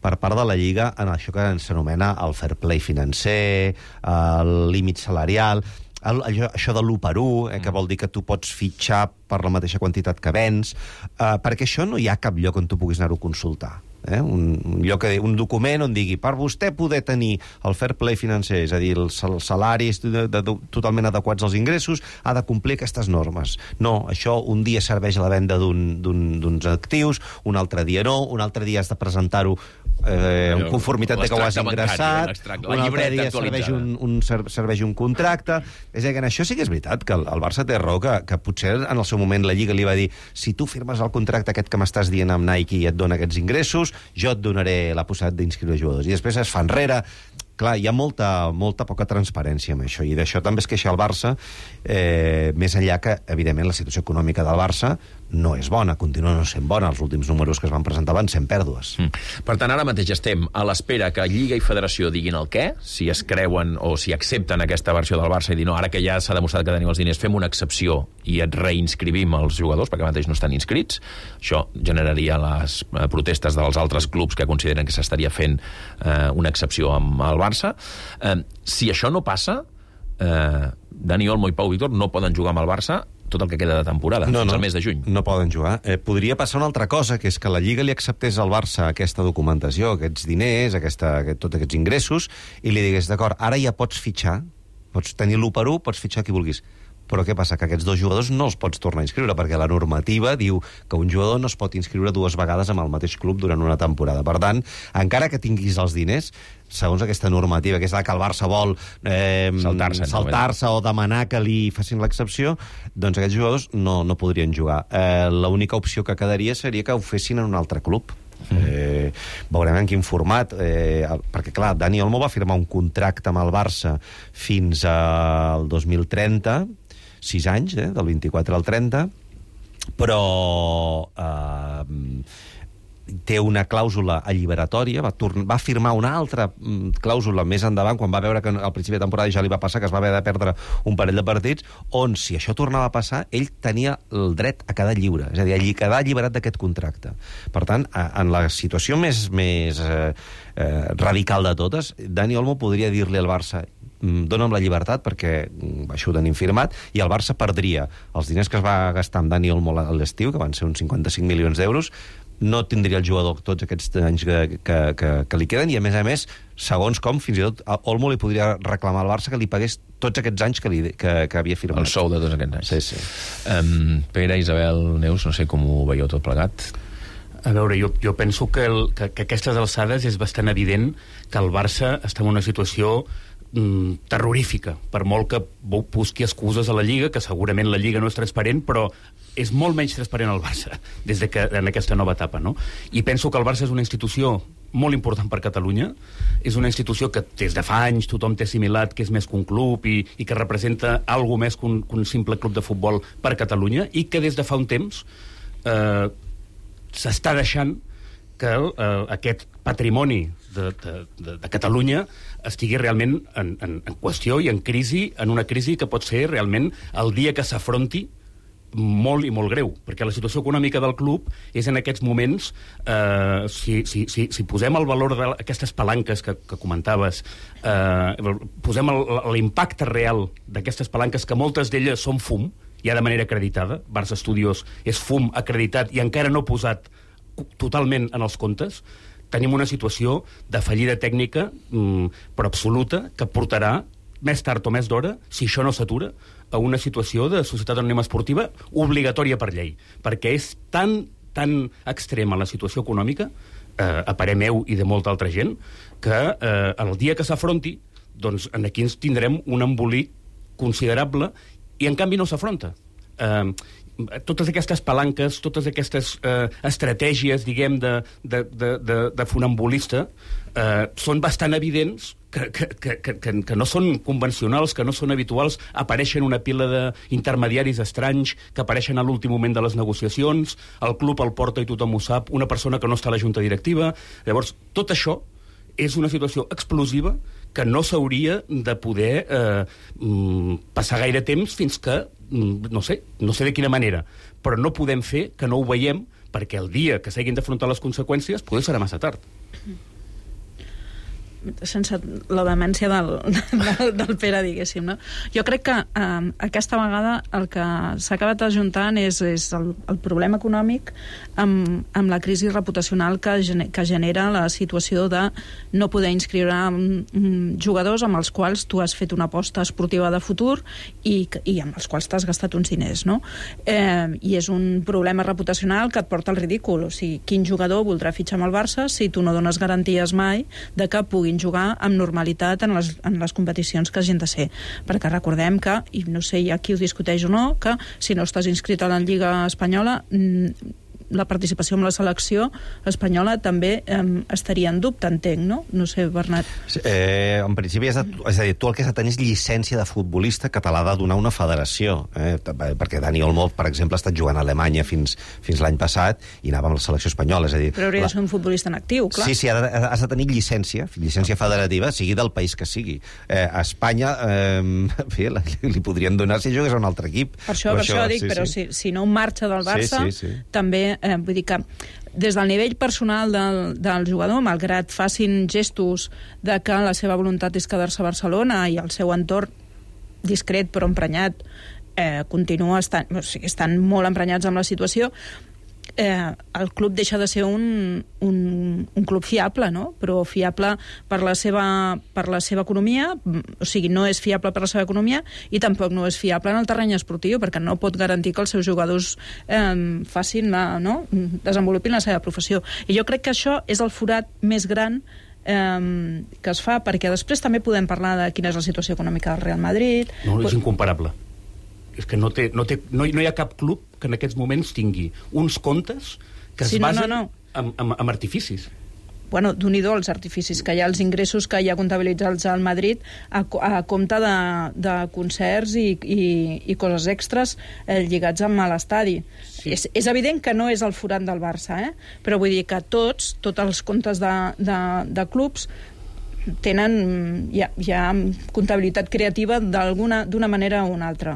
per part de la Lliga en això que s'anomena el fair play financer, el límit salarial, el, això, això de l'u per u, eh, que vol dir que tu pots fitxar per la mateixa quantitat que vens, eh, perquè això no hi ha cap lloc on tu puguis anar-ho a consultar. Eh? Un, un, lloc, un document on digui per vostè poder tenir el fair play financer, és a dir, els salaris de, de, de, totalment adequats als ingressos, ha de complir aquestes normes. No, això un dia serveix a la venda d'uns un, actius, un altre dia no, un altre dia has de presentar-ho eh, en conformitat de que ho has ingressat, un altre dia serveix un, un, serveix un contracte. És a dir, que en això sí que és veritat que el, el Barça té raó, que, que potser en el seu moment la Lliga li va dir si tu firmes el contracte aquest que m'estàs dient amb Nike i et dona aquests ingressos, jo et donaré la possibilitat d'inscriure jugadors. I després es fa enrere. Clar, hi ha molta, molta poca transparència amb això, i d'això també es queixa el Barça, eh, més enllà que, evidentment, la situació econòmica del Barça no és bona, continua no sent bona. Els últims números que es van presentar van sent pèrdues. Mm. Per tant, ara mateix estem a l'espera que Lliga i Federació diguin el què, si es creuen o si accepten aquesta versió del Barça i dir, no, ara que ja s'ha demostrat que tenim els diners, fem una excepció i et reinscrivim els jugadors, perquè mateix no estan inscrits. Això generaria les protestes dels altres clubs que consideren que s'estaria fent eh, una excepció amb el Barça. Eh, si això no passa, eh, Dani Olmo i Pau Víctor no poden jugar amb el Barça tot el que queda de temporada, no, fins no, al mes de juny. No poden jugar. Eh, podria passar una altra cosa, que és que la Lliga li acceptés al Barça aquesta documentació, aquests diners, aquesta, aquest, tots aquests ingressos, i li digués, d'acord, ara ja pots fitxar, pots tenir l'u per u, pots fitxar qui vulguis. Però què passa? Que aquests dos jugadors no els pots tornar a inscriure, perquè la normativa diu que un jugador no es pot inscriure dues vegades amb el mateix club durant una temporada. Per tant, encara que tinguis els diners, segons aquesta normativa, que és la que el Barça vol eh, saltar-se saltar o demanar que li facin l'excepció, doncs aquests jugadors no, no podrien jugar. Eh, L'única opció que quedaria seria que ho fessin en un altre club. Eh, veurem en quin format, eh, perquè clar, Dani Olmo va firmar un contracte amb el Barça fins al dos mil trenta, sis anys, eh, del vint-i-quatre al trenta, però eh, té una clàusula alliberatòria, va, va firmar una altra clàusula més endavant, quan va veure que al principi de temporada ja li va passar, que es va haver de perdre un parell de partits, on, si això tornava a passar, ell tenia el dret a quedar lliure, és a dir, a quedar alliberat d'aquest contracte. Per tant, en la situació més, més eh, eh, radical de totes, Dani Olmo podria dir-li al Barça: dona'm la llibertat, perquè això ho tenim firmat, i el Barça perdria els diners que es va gastar amb Dani Olmo a l'estiu, que van ser uns cinquanta-cinc milions d'euros, no tindria el jugador tots aquests anys que, que, que, que li queden, i a més a més, segons com, fins i tot Olmo li podria reclamar al Barça que li pagués tots aquests anys que, li, que, que havia firmat. El sou de tots aquests anys. Sí, sí. Um, Pere, Isabel, Neus, no sé com ho veieu tot plegat. A veure, jo, jo penso que, el, que, que a aquestes alçades és bastant evident que el Barça està en una situació mm, terrorífica, per molt que busqui excuses a la Lliga, que segurament la Lliga no és transparent, però és molt menys transparent el Barça des de que, en aquesta nova etapa, no? I penso que el Barça és una institució molt important per Catalunya, és una institució que des de fa anys tothom té assimilat que és més que un club i, i que representa alguna més que un, que un simple club de futbol per Catalunya, i que des de fa un temps eh, s'està deixant que eh, aquest patrimoni de, de, de, de Catalunya estigui realment en, en, en qüestió i en crisi, en una crisi que pot ser realment el dia que s'afronti molt i molt greu, perquè la situació econòmica del club és en aquests moments, eh, si, si, si, si posem el valor d'aquestes palanques que, que comentaves, eh, posem l'impacte real d'aquestes palanques, que moltes d'elles són fum, ja de manera acreditada, Barça Studios és fum acreditat i encara no posat totalment en els comptes, tenim una situació de fallida tècnica, mm, però absoluta, que portarà més tard o més d'hora, si això no s'atura, a una situació de societat anònima esportiva obligatòria per llei, perquè és tan, tan extrema la situació econòmica, eh, a parer meu i de molta altra gent, que eh, el dia que s'afronti, doncs aquí ens tindrem un embolic considerable, i en canvi no s'afronta. Eh, totes aquestes palanques, totes aquestes eh, estratègies, diguem, de, de, de, de, de funambulista, eh, són bastant evidents que, que, que, que, que no són convencionals, que no són habituals, apareixen una pila d'intermediaris estranys que apareixen a l'últim moment de les negociacions, el club el porta i tothom ho sap, una persona que no està a la junta directiva. Llavors, tot això és una situació explosiva que no s'hauria de poder eh, passar gaire temps fins que, no sé, no sé de quina manera, però no podem fer que no ho veiem, perquè el dia que s'hagin d'afrontar les conseqüències potser serà massa tard. Sense la demència del, del, del Pere, diguéssim, no? Jo crec que eh, aquesta vegada el que s'ha acabat ajuntant és, és el, el problema econòmic amb, amb la crisi reputacional que, gener, que genera la situació de no poder inscriure um, jugadors amb els quals tu has fet una aposta esportiva de futur i, i amb els quals t'has gastat uns diners, no? Eh, I és un problema reputacional que et porta al ridícul. O sigui, quin jugador voldrà fitxar amb el Barça si tu no dones garanties mai de que puguin jugar amb normalitat en les, en les competicions que hagin de ser, perquè recordem que, i no sé ja qui ho discuteix o no, que si no estàs inscrit a la Lliga Espanyola, la participació en la selecció espanyola també eh, estaria en dubte, entenc, no? No sé, Bernat. Eh, en principi, és, de, és a dir, tu el que has de tenir és llicència de futbolista que te l'ha de donar una federació, eh? Perquè Dani Olmo, per exemple, ha estat jugant a Alemanya fins, fins l'any passat i anava amb la selecció espanyola, és a dir... Però hauria la... de ser un futbolista en actiu, clar. Sí, sí, has de tenir llicència, llicència federativa, sigui del país que sigui. Eh, a Espanya, eh, fi, li podrien donar si jugués a un altre equip. Per això, per això, això dic, sí, però sí. Si, si no marxa del Barça, sí, sí, sí. també Eh, vull dir que des del nivell personal del, del jugador, malgrat facin gestos de que la seva voluntat és quedar-se a Barcelona i el seu entorn discret però emprenyat eh, continua estant, o sigui, estan molt emprenyats amb la situació, eh, el club deixa de ser un, un, un club fiable, no? Però fiable per la seva, per la seva economia, o sigui, no és fiable per la seva economia i tampoc no és fiable en el terreny esportiu, perquè no pot garantir que els seus jugadors eh, facin la, no? desenvolupin la seva professió. I jo crec que això és el forat més gran eh, que es fa, perquè després també podem parlar de quina és la situació econòmica del Real Madrid. No, és incomparable. És que no, té, no, té, no, no hi ha cap club que en aquests moments tingui uns comptes que es sí, basen no, no, no. En, en, en artificis. bueno, d'un-i-do els artificis que hi ha, els ingressos que hi ha comptabilitzats al Madrid a, a compte de, de concerts i, i, i coses extres eh, lligats amb l'estadi. Sí. És, és evident que no és el forat del Barça, eh? Però vull dir que tots, tots els comptes de, de, de clubs tenen hi ha, hi ha comptabilitat creativa d'alguna d'una manera o una altra.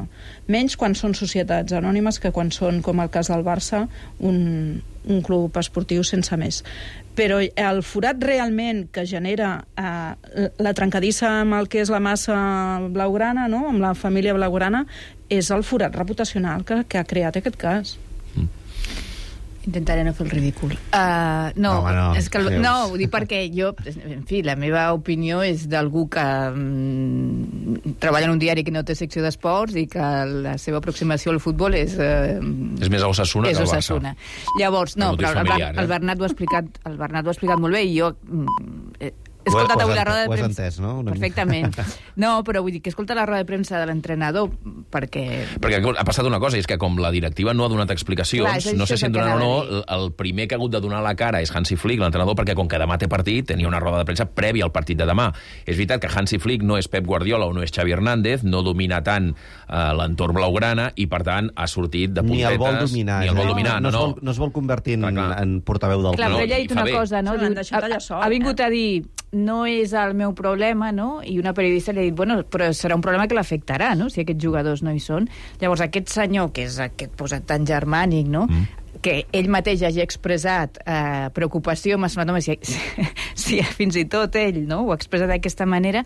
Menys quan són societats anònimes que quan són, com el cas del Barça, un, un club esportiu sense més. Però el forat realment que genera eh, la trencadissa amb el que és la massa blaugrana, no? Amb la família blaugrana, és el forat reputacional que, que ha creat aquest cas. Intentaré no fer el ridícul. Uh, no, no, no, és que el, no, ho dic perquè jo, en fi, la meva opinió és d'algú que mm, treballa en un diari que no té secció d'esports i que la seva aproximació al futbol és... Uh, és més a Osasuna que al Barça. Osasuna. Llavors, no, però el, familiar, el, eh? Bernat ho ha explicat, el Bernat ho ha explicat molt bé i jo... Mm, he escoltat avui la roda de premsa... Ho has entès, no? Perfectament. No, però vull dir que he escoltat la roda de premsa de l'entrenador perquè... Perquè ha passat una cosa, és que com la directiva no ha donat explicacions, Clar, no sé si en donaran o no, el primer que ha hagut de donar la cara és Hansi Flick, l'entrenador, perquè com que demà té partit, tenia una roda de premsa prèvia al partit de demà. És veritat que Hansi Flick no és Pep Guardiola o no és Xavi Hernández, no domina tant eh, l'entorn blaugrana i, per tant, ha sortit de puntetes... Ni el vol dominar. Ni el vol no, dominar, no, no, no. Es vol, no es vol convertir en, en portaveu del Clar, club. però ella ha dit una cosa, no? Diu, ha, ha vingut a dir no és el meu problema, no? I una periodista li ha dit, bueno, però serà un problema que l'afectarà, no?, si aquests jugadors no hi són. Llavors, aquest senyor, que és aquest posat tan germànic, no?, mm. que ell mateix hagi expressat eh, preocupació, m'ha semblat, home, si, si fins i tot ell, no?, ho ha expressat d'aquesta manera,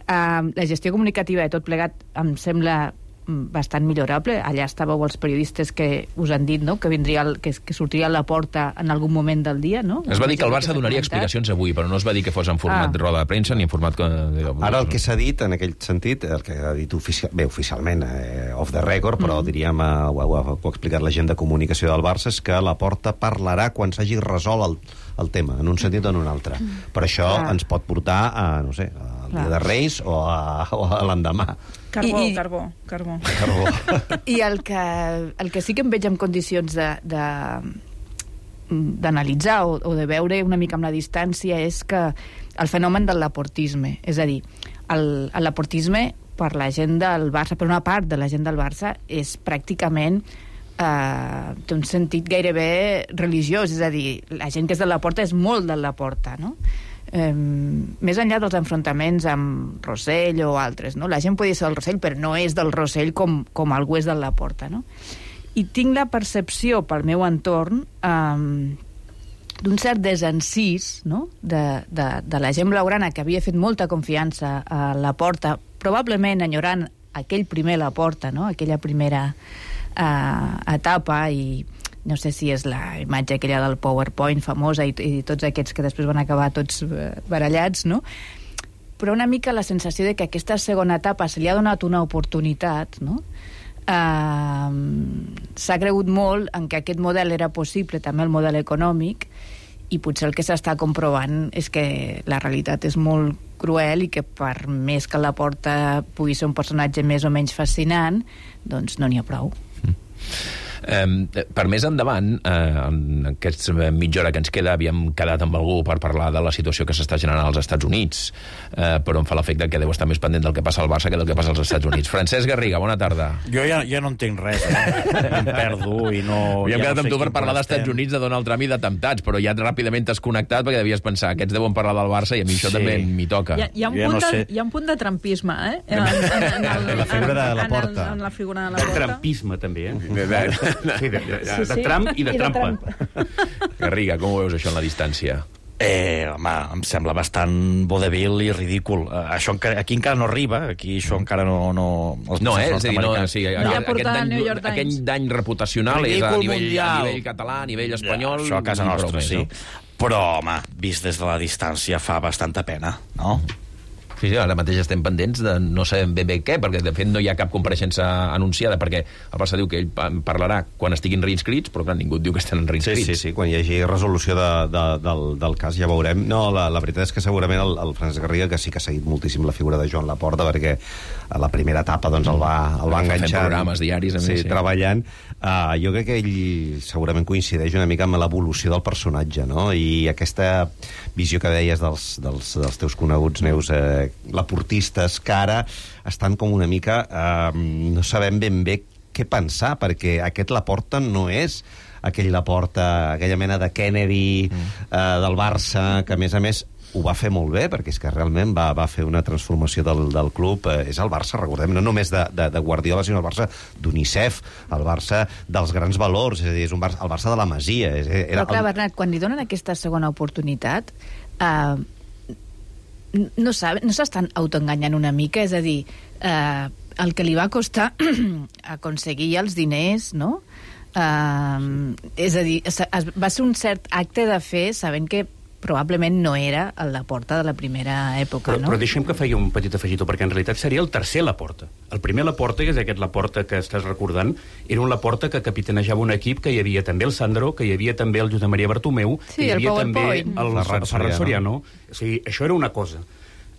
eh, la gestió comunicativa de tot plegat em sembla bastant millorable. Allà estàveu els periodistes que us han dit, no?, que vindria el, que, que sortiria a la porta en algun moment del dia, no? Es va dir que el Barça donaria explicacions avui, però no es va dir que fos en format ah. roda de premsa ni en format... Ara el que s'ha dit, en aquell sentit, el que ha dit oficial, bé, oficialment, eh, off the record, però mm. diríem, eh, ho, ho, ho ha explicat la gent de comunicació del Barça, és que la porta parlarà quan s'hagi resolt el, el tema, en un sentit o en un altre. Mm. Per això ah. ens pot portar a, no sé, al Dia de Reis o a, o a l'endemà. Carbó, I, i, carbó, carbó. carbó. I el que, el que sí que em veig en condicions de, de, d'analitzar o, o de veure una mica amb la distància és que el fenomen del laportisme, és a dir, el, el laportisme per la gent del Barça, per una part de la gent del Barça, és pràcticament eh, té un sentit gairebé religiós, és a dir, la gent que és de la Porta és molt de la Porta, no? Eh, més enllà dels enfrontaments amb Rossell o altres, no? La gent podia ser del Rossell, però no és del Rossell com, com algú és de la Porta, no? I tinc la percepció pel meu entorn eh, d'un cert desencís, no?, de, de, de la gent blaugrana que havia fet molta confiança a la Porta, probablement enyorant aquell primer la Porta, no?, aquella primera eh, etapa, i no sé si és la imatge aquella del PowerPoint famosa i, i tots aquests que després van acabar tots barallats, no? Però una mica la sensació de que aquesta segona etapa se li ha donat una oportunitat, no? Uh, s'ha cregut molt en que aquest model era possible, també el model econòmic, i potser el que s'està comprovant és que la realitat és molt cruel i que per més que la Porta pugui ser un personatge més o menys fascinant, doncs no n'hi ha prou. Mm. Eh, per més endavant, eh, en aquesta mitja hora que ens queda, havíem quedat amb algú per parlar de la situació que s'està generant als Estats Units, eh, però em fa l'efecte que deu estar més pendent del que passa al Barça que del que passa als Estats Units. Francesc Garriga, bona tarda. Jo ja, ja no entenc res, eh? Em perdo i no... Havíem ja quedat no amb tu per parlar d'Estats Units, de Donald Trump i d'atemptats, però ja ràpidament t'has connectat perquè devies pensar, aquests deuen parlar del Barça i a mi això sí. també m'hi toca. Hi ha, hi, ha un punt no de, sé. hi ha un punt de trumpisme, eh? En, en, en, el, en la figura de la Porta. En, en la figura de la Porta. De trumpisme, també, eh? Sí, de, de, de, de Trump i de I trampa. De Garriga, com ho veus això en la distància? Eh, home, em sembla bastant vodevil i ridícul. Uh, això encara, aquí encara no arriba, aquí això encara no... No, no eh? És a dir, no, sí, no. Aquest, aquest, dany, aquest dany reputacional ridícul és a nivell, a nivell català, a nivell espanyol... Ja, això a casa nostra, sí. No? Però, home, vist des de la distància fa bastanta pena, no? Sí, sí, ara mateix estem pendents de no sabem ben bé què, perquè de fet no hi ha cap compareixença anunciada, perquè el Barça diu que ell parlarà quan estiguin reinscrits, però clar, ningú diu que estan reinscrits. Sí, sí, sí, quan hi hagi resolució de, de, del, del cas ja veurem. No, la, la veritat és que segurament el, el Francesc Garriga, que sí que ha seguit moltíssim la figura de Joan Laporta, perquè a la primera etapa doncs, el va, el va enganxar... Fent programes diaris, a més, sí, sí. treballant. Uh, jo crec que ell segurament coincideix una mica amb l'evolució del personatge, no? I aquesta visió que deies dels, dels, dels teus coneguts, Neus, eh, laportistes, que ara estan com una mica... Eh, no sabem ben bé què pensar, perquè aquest Laporta no és aquell Laporta, aquella mena de Kennedy mm. eh, del Barça, que a més a més ho va fer molt bé, perquè és que realment va, va fer una transformació del, del club. Eh, és el Barça, recordem, no només de, de, de Guardiola, sinó el Barça d'Unicef, el Barça dels grans valors, és a dir, és un Barça, el Barça de la Masia. És, era Però clar, el... Bernat, quan li donen aquesta segona oportunitat, eh, no saben, no s'estan autoenganyant una mica, és a dir, eh, el que li va costar aconseguir els diners, no? Eh, és a dir, va ser un cert acte de fe, sabent que probablement no era el Laporta de la primera època, però, no? Però deixem que faci un petit afegitó, perquè en realitat seria el tercer Laporta. El primer Laporta, que és aquest Laporta que estàs recordant, era un Laporta que capitanejava un equip que hi havia també el Sandro, que hi havia també el Josep Maria Bartomeu, sí, que hi havia el també el, el el Ferran Soriano. O sigui, això era una cosa.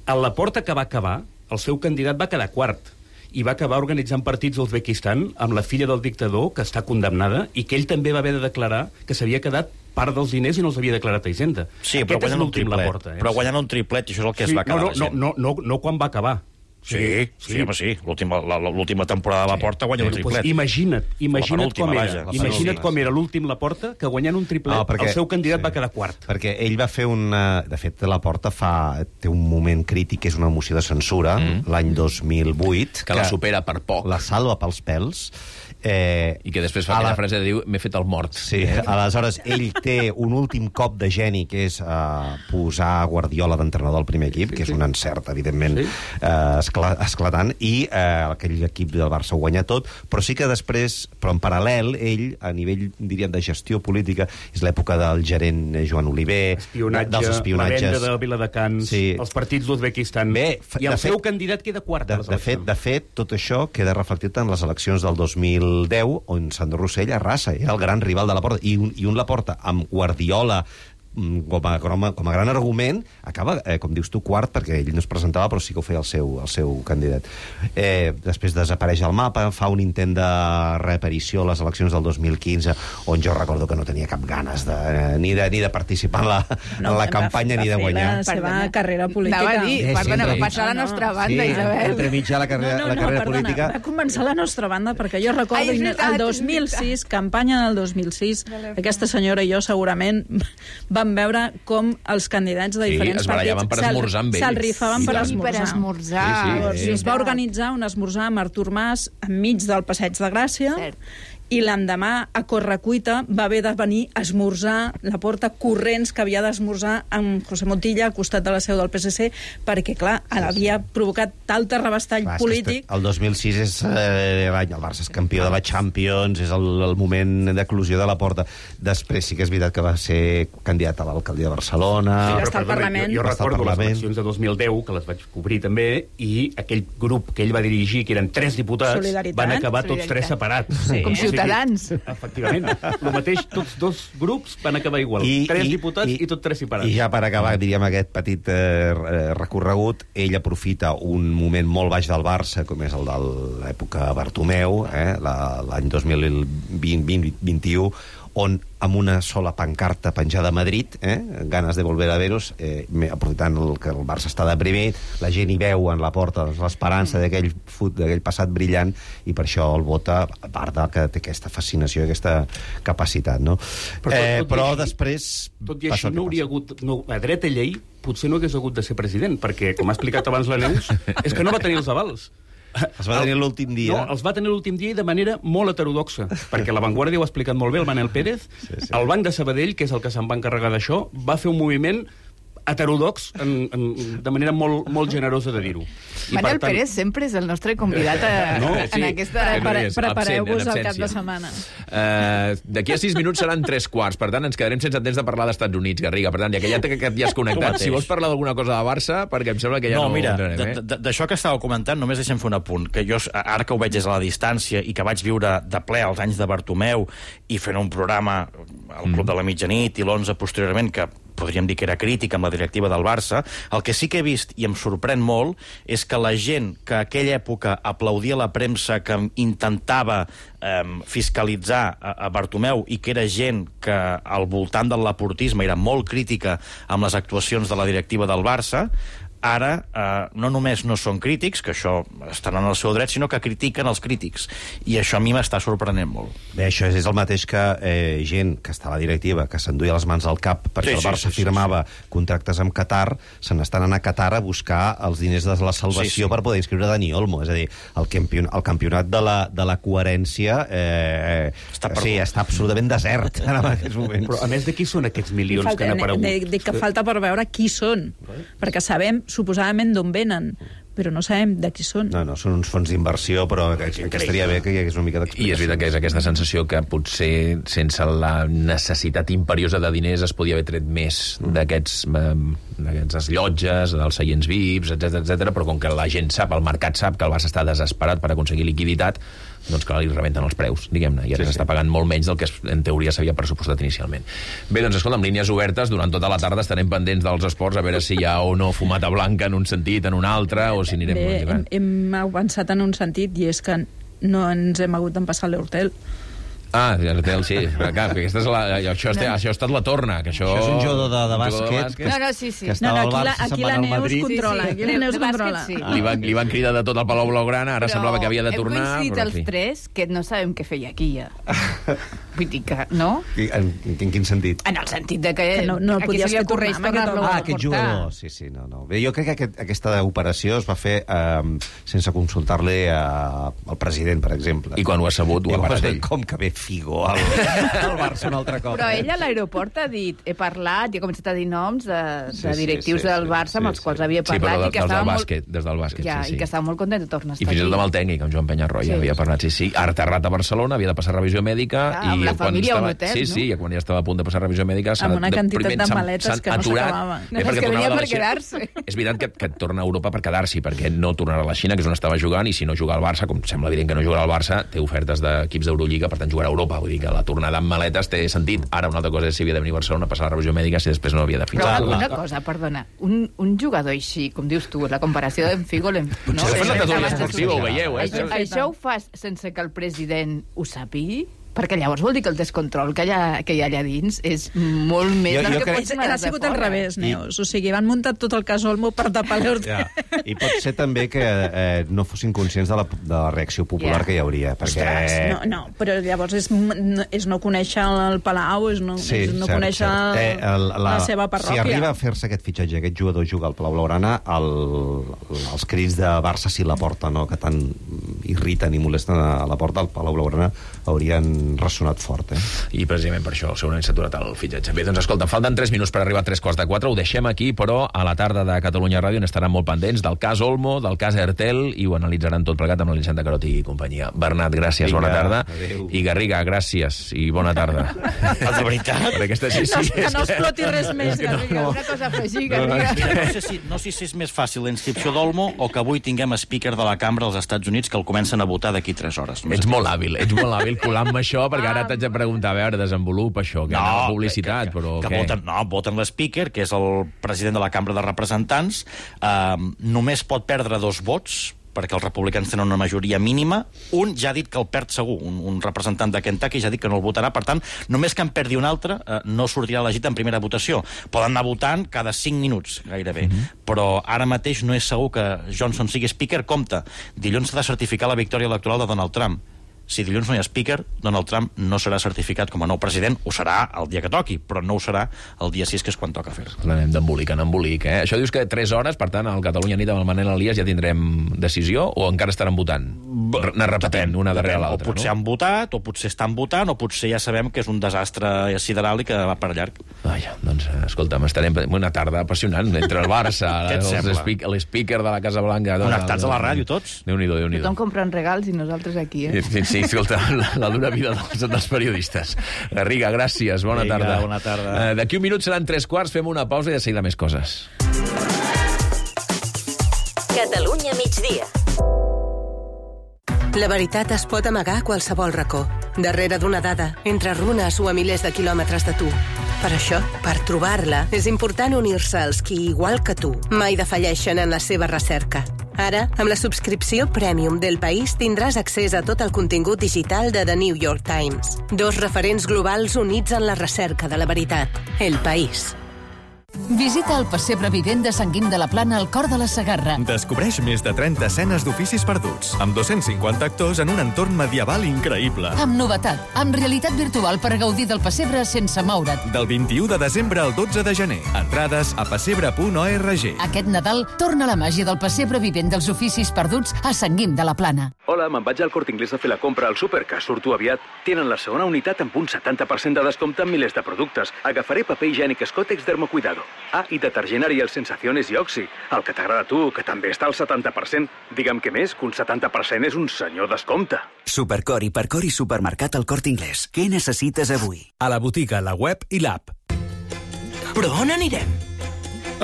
El Laporta que va acabar, el seu candidat va quedar quart, i va acabar organitzant partits d'Uzbekistan amb la filla del dictador, que està condemnada, i que ell també va haver de declarar que s'havia quedat part dels diners i no els havia declarat a Hisenda. Sí, però guanyant un triplet. Laporta, eh? Però guanyant un triplet, i això és el que sí, es va quedar no, no, la gent. No, no, no, no quan va acabar. Sí, sí, sí, home, sí. L'última temporada de Laporta guanya sí, un triplet. Pues imagina't, imagina't com era. Vaja, imagina't com era l'últim Laporta, que guanyant un triplet, no, perquè, el seu candidat sí, va quedar quart. Perquè ell va fer una... De fet, Laporta fa... té un moment crític, que és una moció de censura, mm. l'any dos mil vuit. Que, que la supera per poc. La salva pels pèls. Eh, I que després fa aquella la... frase de dir m'he fet el mort. Sí, aleshores ell té un últim cop de geni, que és eh, posar Guardiola d'entrenador al primer equip, sí, que és sí. un encert, evidentment, sí. eh, escla esclatant, i eh, aquell equip del Barça ho guanya tot, però sí que després, però en paral·lel, ell, a nivell, diríem, de gestió política, és l'època del gerent Joan Oliver, espionatge, dels espionatges... la venda de Viladecans, sí. els partits d'Uzbekistan, i el seu fet, candidat queda quart. De, de, fet, de fet, tot això queda reflectit en les eleccions del dos mil deu, on Sandro Rossell arrasa, era el gran rival de Laporta, i un, i un Laporta amb Guardiola com a, com a, com a gran argument, acaba, eh, com dius tu, quart, perquè ell no es presentava, però sí que ho feia el seu, el seu candidat. Eh, després desapareix el mapa, fa un intent de reaparició a les eleccions del dos mil quinze, on jo recordo que no tenia cap ganes de, eh, ni, de, ni de participar en la, no, en la campanya, va, ni de guanyar. La seva carrera política. Anava a dir, eh, perdona, va passar a la nostra banda, sí, Isabel. Entre mitja la carrera, no, no, la carrera no, perdona, política... Va començar la nostra banda, perquè jo recordo Ai, veritat, el dos mil sis, campanya del dos mil sis, aquesta senyora i jo segurament vam veure com els candidats de diferents sí, partits se'l rifaven per esmorzar. Per esmorzar. Sí, sí, sí, sí. Es va organitzar un esmorzar amb Artur Mas enmig del Passeig de Gràcia, cert. I l'endemà, a correcuita, va haver de venir a esmorzar Laporta corrents que havia d'esmorzar amb José Montilla al costat de la seu del P S C, perquè, clar, havia provocat tal terrabastall clar, polític... El dos mil sis és eh, l'any, el Barça és campió de la Champions, és el, el moment d'eclusió de Laporta. Després sí que és veritat que va ser candidat a l'alcaldia de Barcelona... Sí, va estar al Parlament. Jo, jo recordo les eleccions de dos mil deu, que les vaig cobrir també, i aquell grup que ell va dirigir, que eren tres diputats, van acabar tots tres separats. Sí. Com si Ciutadans. Efectivament. El mateix, tots dos grups van acabar igual. I, tres i, diputats i, i tots tres separats. I ja per acabar, diríem, aquest petit eh, recorregut, ell aprofita un moment molt baix del Barça, com és el de l'època Bartomeu, eh, l'any dos mil vint vint i u, on amb una sola pancarta penjada a Madrid, eh, ganes de volver a veros, eh, aprofitant el, que el Barça està deprimit, la gent hi veu en la porta l'esperança d'aquell d'aquell passat brillant, i per això el vota, a part de que té aquesta fascinació, aquesta capacitat, no? Però, tot, eh, tot però així, després... Tot i així no hauria hagut... No, a dret a llei potser no hagués hagut de ser president, perquè, com ha explicat abans la Neus, és que no va tenir els avals. Els va tenir l'últim dia. No, els va tenir l'últim dia i de manera molt heterodoxa, perquè La Vanguardia ho ha explicat molt bé, el Manel Pérez. Sí, sí. El Banc de Sabadell, que és el que se'n va encarregar d'això, va fer un moviment heterodox, en, en, de manera molt, molt generosa de dir-ho. Manel tant... Pérez sempre és el nostre convidat a, no, sí, en aquesta... Prepare, Prepareu-vos al cap de setmana. Uh, D'aquí a sis minuts seran tres quarts, per tant ens quedarem sense temps de parlar d'Estats Units, Garriga. Per tant, ja que ja, que ja has connectat, si vols parlar d'alguna cosa de Barça, perquè em sembla que ja no... No, mira, eh? d'això que estàveu comentant, només deixem fer un apunt, que jo, ara que ho veig des de la distància i que vaig viure de ple als anys de Bartomeu i fent un programa al Club mm. de la Mitjanit i l'onze posteriorment, que podríem dir que era crític amb la directiva del Barça, el que sí que he vist, i em sorprèn molt, és que la gent que a aquella època aplaudia la premsa que intentava eh, fiscalitzar a, a Bartomeu i que era gent que al voltant del laportisme era molt crítica amb les actuacions de la directiva del Barça, ara eh, no només no són crítics, que això estan en el seu dret, sinó que critiquen els crítics. I això a mi m'està sorprenent molt. Bé, això és el mateix que eh, gent que està a la directiva, que s'enduia les mans al cap perquè sí, el Barça sí, sí, firmava sí, sí. contractes amb Qatar, se n'estan anant a Qatar a buscar els diners de la salvació sí, sí. per poder inscriure Dani Olmo. És a dir, el, campion, el campionat de la, de la coherència eh, està, sí, està absolutament desert en aquests moments. Però a més de qui són aquests milions falta, que han aparegut? Dic que falta per veure qui són, perquè sabem suposadament d'on venen, però no sabem de qui són. No, no, són uns fons d'inversió, però que, que estaria bé que hi hagués una mica d'explicació. I és veritat que és aquesta sensació que potser sense la necessitat imperiosa de diners es podia haver tret més d'aquests d'aquestes llotges, dels seients V I Ps, etcètera, etcètera, però com que la gent sap, el mercat sap que el Barça està desesperat per aconseguir liquiditat, doncs clar, li rebenten els preus, diguem-ne, i ara s'està sí, sí. pagant molt menys del que en teoria s'havia pressupostat inicialment. Bé, doncs escolta, amb línies obertes, durant tota la tarda estarem pendents dels esports, a veure si hi ha o no fumata blanca en un sentit, en un altre, o si anirem... Bé, hem, hem avançat en un sentit, i és que no ens hem hagut d'empassar l'Hortel. Ah, l'Hortel, sí. Clar, aquesta és la, això, no. això ha estat la torna. Que això... això és un jugador de, de bàsquet. De bàsquet. No, no, sí, sí. Que no, no, aquí la, aquí la Neus controla. Sí, sí. Aquí la Neus controla. Sí. Li, van, li van cridar de tot el Palau Blaugrana, ara però semblava que havia de tornar. Hem coincidit però, els tres que no sabem què feia aquí, ja. Vull dir que, no? En, en quin sentit? En el sentit de que, que no, no aquí se li ocorreix tornar-lo ah, a aquest portar. jugador, sí, sí, no, no. Bé, jo crec que aquest, aquesta operació es va fer eh, sense consultar-li al president, per exemple. I quan ho ha sabut, ho ha parat ell. Com que ve Figo al, al Barça un altre cop. Però ell a l'aeroport ha dit, he parlat, i ha començat a dir noms de, de sí, directius sí, sí, del Barça sí, amb els quals havia parlat. Sí, però i que des, del molt... bàsquet, des del bàsquet, ja, sí, sí. I que estava molt content de tornar a estar I fins i tot amb el tècnic, amb Joan Penyarroia, sí. havia parlat, sí, sí. Ara aterrat a Barcelona, havia de passar revisió mèdica. Ah, amb i la família estava... a un hotel, sí, no? Sí, i quan ja estava a punt de passar revisió mèdica... Amb una quantitat de maletes que no s'acabava. No, és que venia per quedar-se. És veritat que, que torna a Europa per quedar-s'hi, perquè no tornarà a la Xina, que és on estava jugant, i si no juga al Barça, com sembla evident que no jugarà al Barça, té ofertes d'equips d'Eurolliga, per tant jugarà a Europa. Vull dir que la tornada amb maletes té sentit. Ara una altra cosa és si havia de venir a Barcelona a passar la revisió mèdica, si després no havia de fins. Però una cosa, perdona, un, un jugador així, com dius tu, la comparació d'en Figo... No? Potser no, no, no, ho veieu, eh? Això, això ho fas sense que el president ho sàpigui? Perquè llavors vol dir que el descontrol que hi ha, que hi ha allà dins és molt més jo, del jo que pot ser ha sigut al revés, Neus. O sigui, van muntar tot el cas Olmo per tapar l'Hortel. Ja. I pot ser també que eh, no fossin conscients de la, de la reacció popular yeah. que hi hauria. Perquè... Ostres, no, no, però llavors és, és no conèixer el Palau, és no, sí, és no cert, conèixer cert. Eh, el, la, la seva parròquia. Si arriba a fer-se aquest fitxatge, aquest jugador juga al Palau Blaugrana, el, els crits de Barça si la porta, no?, que tant irriten i molesten a la porta, al Palau Blaugrana haurien ressonat fort. Eh? I precisament per això segurament s'ha aturat el fitxatge. Bé, doncs escolta, falten tres minuts per arribar a tres quarts de quatre, ho deixem aquí, però a la tarda de Catalunya Ràdio n'estaran molt pendents del cas Olmo, del cas Ertel, i ho analitzaran tot plegat amb l'Elisenda Carot i companyia. Bernat, gràcies, Vinga, bona tarda. Adéu. I Garriga, gràcies i bona tarda. De veritat? Per aquesta, sí, sí, que no exploti res més, Garriga. No. Una cosa a afegir, Garriga. No, no, sé si, no sé si és més fàcil la inscripció d'Olmo o que avui tinguem speaker de la cambra als Estats Units que el comencen a votar d'aquí tres hores. Ets molt hàbil, ets molt hàbil colant-me això, perquè ara t'haig de preguntar, a veure, desenvolupa això, que no, la publicitat, que, que, però que què? Voten, no, voten l'speaker, que és el president de la Cambra de Representants, eh, només pot perdre dos vots, perquè els republicans tenen una majoria mínima. Un ja ha dit que el perd segur, un, un representant de Kentucky ja ha dit que no el votarà, per tant, només que en perdi un altre, eh, no sortirà elegit en primera votació. Poden anar votant cada cinc minuts, gairebé. Mm-hmm. Però ara mateix no és segur que Johnson sigui speaker. Compte, dilluns s'ha de certificar la victòria electoral de Donald Trump. Si dilluns no hi ha speaker, Donald Trump no serà certificat com a nou president, ho serà el dia que toqui, però no ho serà el dia sis, que és quan toca fer-se. Anem d'embolic en embolic, eh? Això dius que tres hores, per tant, al Catalunya Nit amb el Manel Elias ja tindrem decisió o encara estaran votant? anar repetent una darrere l'altra. O potser no? han votat, o potser estan votant, o potser ja sabem que és un desastre sideral i que va per llarg. Vaja, doncs, escolta'm, estarem una tarda apassionant entre el Barça, l'speaker de la Casa Blanca... Connectats a la ràdio, tots. Déu-n'hi-do, Déu-n'hi-do. Tothom comprant regals i nosaltres aquí, eh? Sí, sí, escolta, la, la dura vida dels, dels periodistes. Garriga, gràcies, bona Vinga, tarda. bona tarda. Uh, D'aquí un minut seran tres quarts, fem una pausa i de seguida més coses. Catalunya migdia. La veritat es pot amagar a qualsevol racó, darrere d'una dada, entre runes o a milers de quilòmetres de tu. Per això, per trobar-la, és important unir-se als qui, igual que tu, mai defalleixen en la seva recerca. Ara, amb la subscripció Premium del País tindràs accés a tot el contingut digital de The New York Times. Dos referents globals units en la recerca de la veritat. El País. Visita el pessebre vivent de Sant Guim de la Plana al cor de la Segarra. Descobreix més de trenta escenes d'oficis perduts, amb dos-cents cinquanta actors en un entorn medieval increïble. Amb novetat, amb realitat virtual per gaudir del pessebre sense moure't. Del vint-i-u de desembre al dotze de gener. Entrades a pessebre punt org. Aquest Nadal torna la màgia del pessebre vivent dels oficis perduts a Sant Guim de la Plana. Hola, me'n vaig al Corte Inglés a fer la compra al súper, que surto aviat. Tenen la segona unitat amb un setanta per cent de descompte en milers de productes. Agafaré paper higiènic Scottex Dermocuidado. Ah, i detergent Ariel Sensaciones i Oxy. El que t'agrada a tu, que també està al setanta per cent. Digue'm què més, que un setanta per cent és un senyor descompte. Supercor, Hipercor i Supermercat al Corte Inglés. Què necessites avui? A la botiga, la web i l'app. Però on anirem?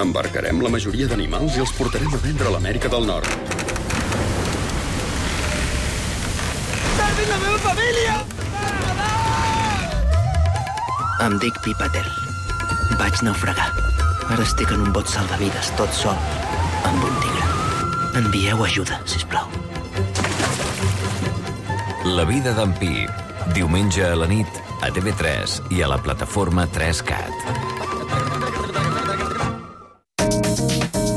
Embarcarem la majoria d'animals i els portarem a vendre a l'Amèrica del Nord. Salvi la meva família! Em dic Pipatel. Vaig naufragar. Ara estic en un bot salvavides, tot sol, amb un tigre. Envieu ajuda, sisplau. La vida d'en Pi. Diumenge a la nit, a T V tres i a la plataforma tres cat.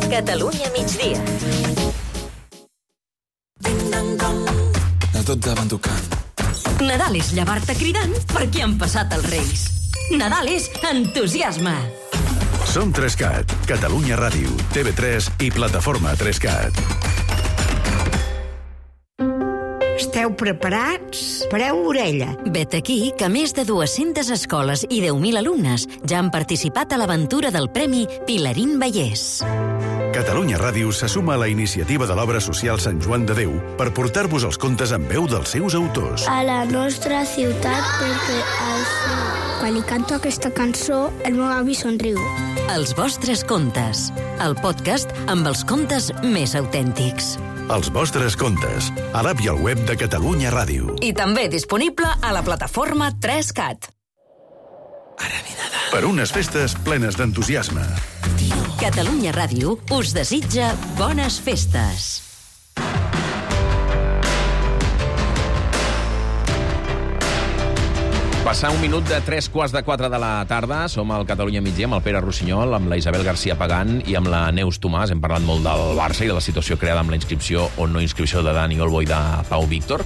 Catalunya migdia. A tot davant tocant. Nadal és llevar-te cridant perquè han passat els Reis. Nadal és entusiasme. Som tres cat, Catalunya Ràdio, T V tres i plataforma tres cat. Esteu preparats? Pareu orella. Vet aquí que més de dues-centes escoles i deu mil alumnes ja han participat a l'aventura del Premi Pilarín Vallès. Catalunya Ràdio se suma a la iniciativa de l'obra social Sant Joan de Déu per portar-vos els contes en veu dels seus autors. A la nostra ciutat perquè els... Quan li canto aquesta cançó, el meu avi somriu. Els vostres contes. El podcast amb els contes més autèntics. Els vostres contes. A l'app i al web de Catalunya Ràdio. I també disponible a la plataforma tres cat. Per unes festes plenes d'entusiasme. Catalunya Ràdio us desitja bones festes. Passar un minut de tres quarts de quatre de la tarda. Som al Catalunya migdia amb el Pere Rossinyol, amb la Isabel García Pagant i amb la Neus Tomàs. Hem parlat molt del Barça i de la situació creada amb la inscripció o no inscripció de Dani Olmo i de Pau Víctor.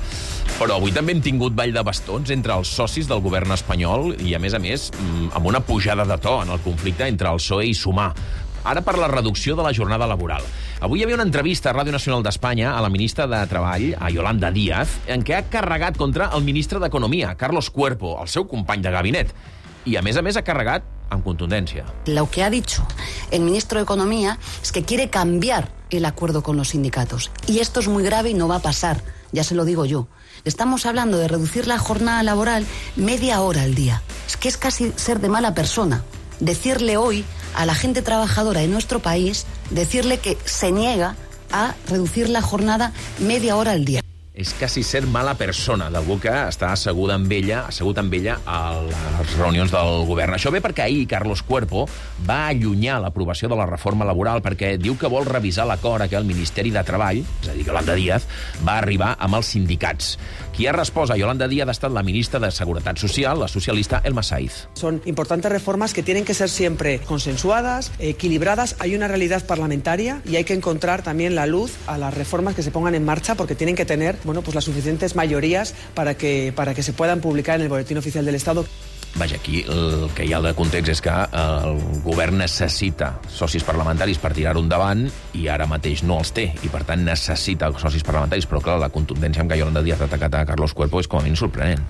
Però avui també hem tingut ball de bastons entre els socis del govern espanyol i, a més a més, amb una pujada de to en el conflicte entre el P S O E i Sumar. Ara per la reducció de la jornada laboral. Avui hi havia una entrevista a Ràdio Nacional d'Espanya a la ministra de Treball, a Yolanda Díaz, en què ha carregat contra el ministre d'Economia, Carlos Cuerpo, el seu company de gabinet. I, a més a més, ha carregat amb contundència. Lo que ha dicho el ministro de Economía es que quiere cambiar el acuerdo con los sindicatos. Y esto es muy grave y no va a pasar, ya se lo digo yo. Estamos hablando de reducir la jornada laboral media hora al día. Es que es casi ser de mala persona. Decirle hoy a la gente trabajadora de nuestro país, decirle que se niega a reducir la jornada media hora al día. És quasi ser mala persona d'algú que està assegut amb ella, assegut amb ella a les reunions del govern. Això ve perquè ahir Carlos Cuerpo va allunyar l'aprovació de la reforma laboral perquè diu que vol revisar l'acord a què el Ministeri de Treball, és a dir, Yolanda Díaz, va arribar amb els sindicats. Qui ha respost a Yolanda Díaz ha estat la ministra de Seguretat Social, la socialista Elma Saiz. Son importantes reformas que tienen que ser siempre consensuadas, equilibradas. Hay una realidad parlamentaria y hay que encontrar también la luz a las reformas que se pongan en marcha porque tienen que tener, bueno, pues las suficientes mayorías para que, para que se puedan publicar en el Boletín Oficial del Estado. Vaja, aquí el que hi ha de context és que el govern necessita socis parlamentaris per tirar-ho endavant i ara mateix no els té, i per tant necessita socis parlamentaris, però clar, la contundència amb què Yolanda Díaz ha atacat a Carlos Cuerpo és com a mínim sorprenent.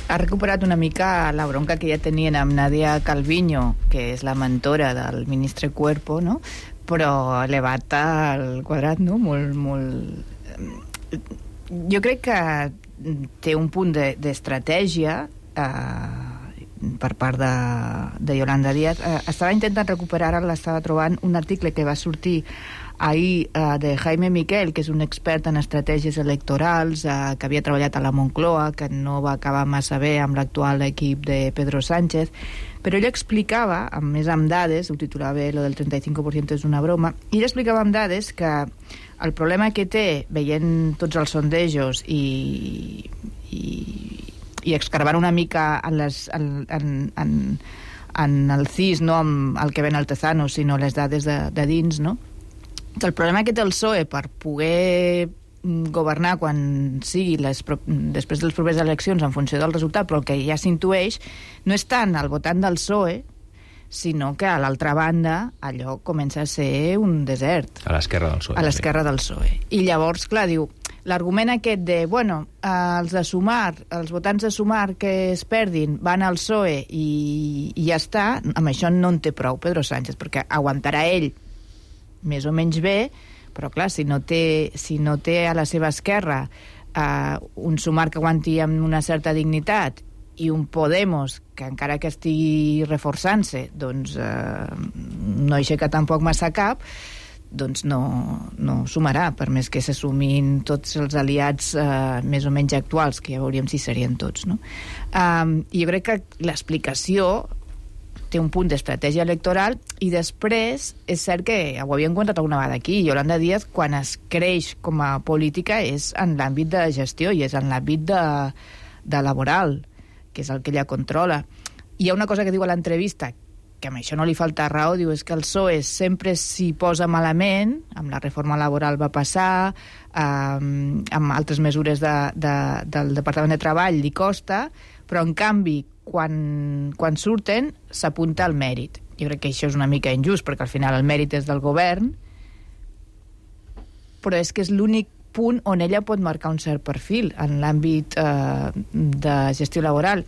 Ha recuperat una mica la bronca que ja tenien amb Nadia Calviño, que és la mentora del ministre Cuerpo, no? Però elevat al quadrat, no? Molt, molt... Jo crec que té un punt d'estratègia eh, per part de, de Yolanda Díaz. Eh, estava intentant recuperar, ara l'estava trobant, un article que va sortir ahir eh, de Jaime Miquel, que és un expert en estratègies electorals, eh, que havia treballat a la Moncloa, que no va acabar massa bé amb l'actual equip de Pedro Sánchez, però ell explicava, a més amb dades, ho titulava lo del treinta y cinco por ciento és una broma, i ell explicava amb dades que el problema que té, veient tots els sondejos i, i, i excavant una mica en, les, en, en, en, en el C I S, no amb el que ven al Tezano, sinó les dades de, de dins, no? El problema que té el P S O E per poder governar quan sigui les, després de les properes eleccions en funció del resultat, però el que ja s'intueix no és tant el votant del P S O E, sinó que a l'altra banda allò comença a ser un desert. A l'esquerra del P S O E. A l'esquerra del P S O E. I llavors, clar, diu, l'argument aquest de, bueno, els de Sumar, els votants de Sumar que es perdin van al P S O E i, i ja està, amb això no en té prou Pedro Sánchez, perquè aguantarà ell més o menys bé, però clar, si no té, si no té a la seva esquerra eh, un Sumar que aguanti amb una certa dignitat i un Podemos que encara que estigui reforçant-se doncs eh, no aixeca tampoc massa cap, doncs no, no sumarà, per més que se sumin tots els aliats eh, més o menys actuals, que ja veuríem si serien tots, no? Um, i jo crec que l'explicació té un punt d'estratègia electoral, i després és cert que ho havíem comentat alguna vegada aquí, Yolanda Díaz quan es creix com a política és en l'àmbit de gestió i és en l'àmbit de, de laboral, que és el que ella controla. Hi ha una cosa que diu a l'entrevista, que amb això no li falta raó, diu és que el P S O E sempre s'hi posa malament, amb la reforma laboral va passar, eh, amb altres mesures de, de, del Departament de Treball li costa, però en canvi quan, quan surten s'apunta al mèrit. Jo crec que això és una mica injust, perquè al final el mèrit és del govern, però és que és l'únic punt on ella pot marcar un cert perfil en l'àmbit eh, de gestió laboral.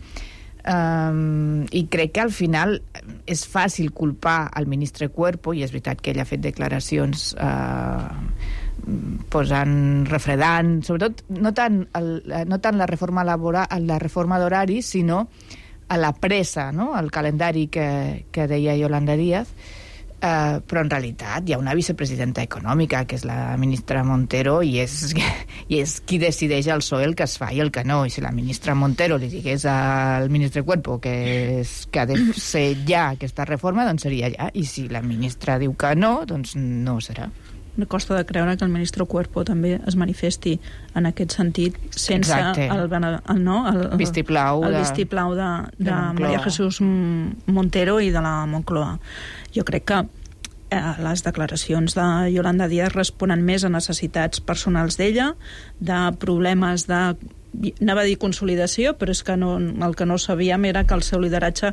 Um, i crec que al final és fàcil culpar al ministre Cuerpo, i és veritat que ell ha fet declaracions eh, posant, refredant, sobretot no tant, el, no tant la reforma laboral, la reforma d'horari, sinó a la pressa, no? El calendari que, que deia Yolanda Díaz, eh, però en realitat hi ha una vicepresidenta econòmica, que és la ministra Montero, i és, i és qui decideix al P S O E el que es fa i el que no. I si la ministra Montero li digués al ministre Cuerpo que, és, que ha de ser ja aquesta reforma, doncs seria ja. I si la ministra diu que no, doncs no serà. Me costa de creure que el ministre Cuerpo també es manifesti en aquest sentit sense Exacte. el, el, no, el, el vistiplau el de, vistiplau de, de, de María Jesús Montero i de la Moncloa. Jo crec que eh, les declaracions de Yolanda Díaz responen més a necessitats personals d'ella, de problemes de, anava a dir consolidació, però és que no, el que no sabíem era que el seu lideratge,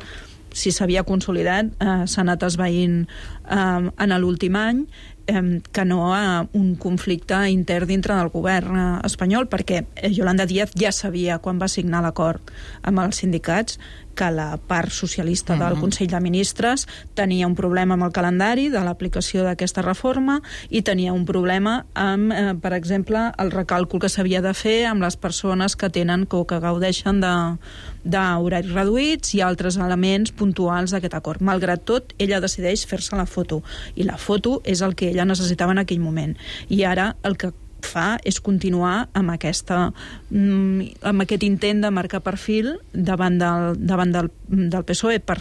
si s'havia consolidat, eh, s'ha anat esvaint eh, en l'últim any, eh, que no a un conflicte intern dintre del govern eh, espanyol, perquè Yolanda Díaz ja sabia, quan va signar l'acord amb els sindicats, que la part socialista del Mm-hmm. Consell de Ministres tenia un problema amb el calendari de l'aplicació d'aquesta reforma i tenia un problema amb, eh, per exemple, el recàlcul que s'havia de fer amb les persones que tenen o que gaudeixen d'horaris reduïts i altres elements puntuals d'aquest acord. Malgrat tot, ella decideix fer-se la foto, i la foto és el que ella necessitava en aquell moment. I ara el que fa és continuar amb, aquesta, amb aquest intent de marcar perfil davant del, davant del, del P S O E per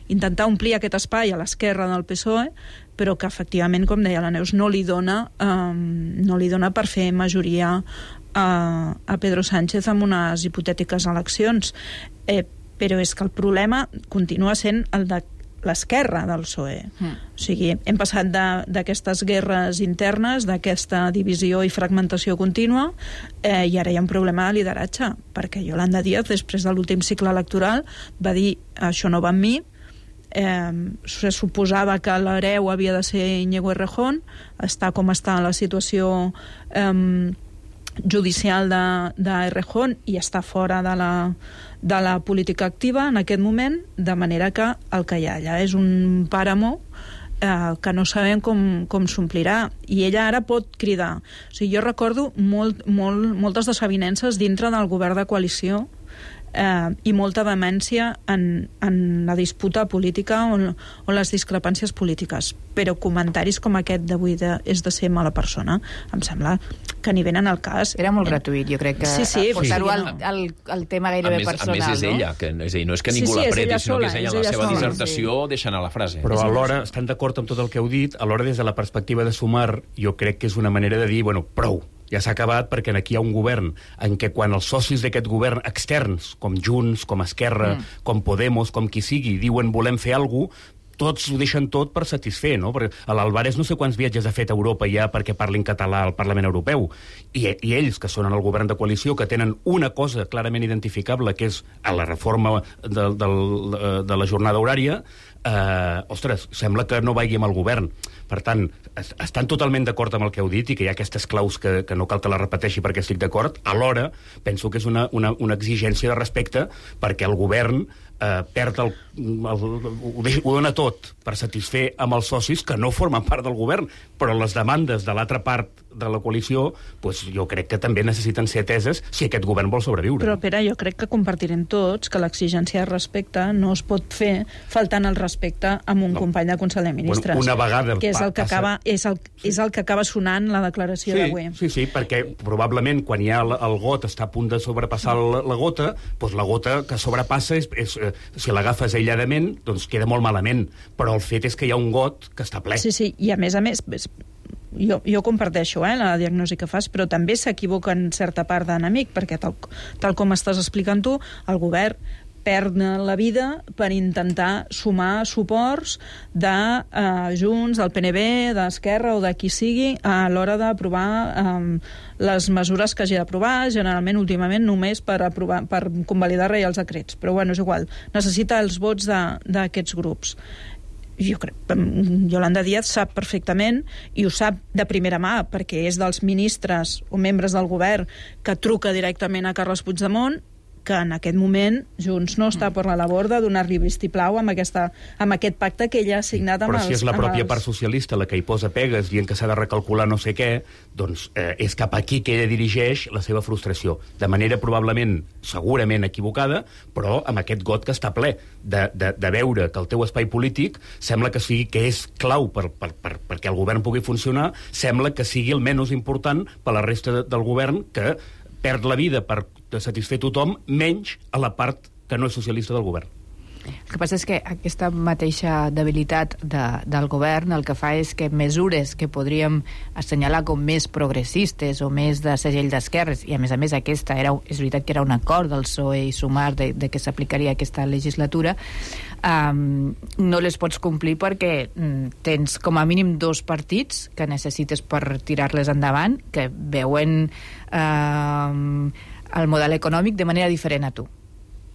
intentar omplir aquest espai a l'esquerra del P S O E, però que efectivament, com deia la Neus, no li dona, eh, no li dona per fer majoria a, a Pedro Sánchez amb unes hipotètiques eleccions. Eh, però és que el problema continua sent el de l'esquerra del P S O E. Mm. O sigui, hem passat d'aquestes guerres internes, d'aquesta divisió i fragmentació contínua, eh, i ara hi ha un problema de lideratge, perquè Yolanda Díaz, després de l'últim cicle electoral, va dir, això no va amb mi, eh, se suposava que l'hereu havia de ser Íñigo Errejón, està com està la situació eh, judicial de, de Errejón i està fora de la, de la política activa en aquest moment, de manera que el que hi ha allà és un pàramo eh, que no sabem com, com s'omplirà, i ella ara pot cridar. O sigui, jo recordo molt, molt, moltes desavinences dintre del govern de coalició eh, i molta vehemència en, en la disputa política o, o les discrepàncies polítiques, però comentaris com aquest d'avui de, és de ser mala persona, em sembla que ni venen al cas. Era molt gratuït, jo crec que sí, sí, portar-ho sí, al, no. al, al tema gairebé a més, personal. A més, és ella, que, és a dir, no és que ningú sí, sí, l'apreti, sinó sola, que és ella, és la ella seva sola, dissertació sí. deixa anar la frase. Però alhora, estan d'acord amb tot el que heu dit, alhora des de la perspectiva de Sumar, jo crec que és una manera de dir, bueno, prou, ja s'ha acabat, perquè aquí hi ha un govern en què quan els socis d'aquest govern externs, com Junts, com Esquerra, mm. com Podemos, com qui sigui, diuen volem fer alguna cosa, tots ho deixen tot per satisfer, no? Perquè l'Alvarez no sé quants viatges ha fet a Europa ja perquè parlin català al Parlament Europeu. I, i ells, que són en el govern de coalició, que tenen una cosa clarament identificable, que és a la reforma de, de, de la jornada horària, eh, ostres, sembla que no vagi amb el govern. Per tant, es, estan totalment d'acord amb el que heu dit i que hi ha aquestes claus que, que no cal que les repeteixi perquè estic d'acord. Alhora, penso que és una, una, una exigència de respecte perquè el govern eh, perd el, el, ho, deix, ho dona tot per satisfer amb els socis que no formen part del govern, però les demandes de l'altra part de la coalició, pues, jo crec que també necessiten ser ateses si aquest govern vol sobreviure. Però, Pere, jo crec que compartirem tots que l'exigència de respecte no es pot fer faltant el respecte amb un no. company de Consell de Ministres. Bueno, una vegada que és el que acaba, és el, és el que acaba sonant la declaració sí, d'avui. Sí, sí, perquè probablement quan hi ha el, el got està a punt de sobrepassar la, la gota, doncs la gota que sobrepassa, és, és, eh, si l'agafes aïlladament, doncs queda molt malament. Però el fet és que hi ha un got que està ple. Sí, sí, i a més a més... Jo, jo comparteixo eh, la diagnosi que fas, però també s'equivoca en certa part d'enemic, perquè tal, tal com estàs explicant tu, el govern perd la vida per intentar sumar suports de eh, Junts, del P N B, d'Esquerra o de qui sigui a l'hora d'aprovar eh, les mesures que hagi d'aprovar, generalment últimament només per aprovar, per convalidar reials decrets, però bueno, és igual, necessita els vots d'aquests grups. Jo crec, Yolanda Díaz sap perfectament, i ho sap de primera mà, perquè és dels ministres o membres del govern que truca directament a Carles Puigdemont, que en aquest moment Junts no està per la labor de donar-li vistiplau amb, aquesta, amb aquest pacte que ella ha signat amb els... els... Però si és la pròpia els... part socialista la que hi posa pegues dient que s'ha de recalcular no sé què, doncs eh, és cap aquí que ella dirigeix la seva frustració. De manera probablement, segurament equivocada, però amb aquest got que està ple de, de, de veure que el teu espai polític sembla que sigui que és clau per, per, per, perquè el govern pugui funcionar, sembla que sigui el menys important per la resta de, del govern, que perd la vida per satisfer tothom, menys a la part que no és socialista del govern. El que passa és que aquesta mateixa debilitat de, del govern el que fa és que mesures que podríem assenyalar com més progressistes o més de segell d'esquerres, i a més a més aquesta era, és veritat que era un acord del P S O E i Sumar de, de que s'aplicaria aquesta legislatura, um, no les pots complir perquè um, tens com a mínim dos partits que necessites per tirar-les endavant, que veuen um, el model econòmic de manera diferent a tu.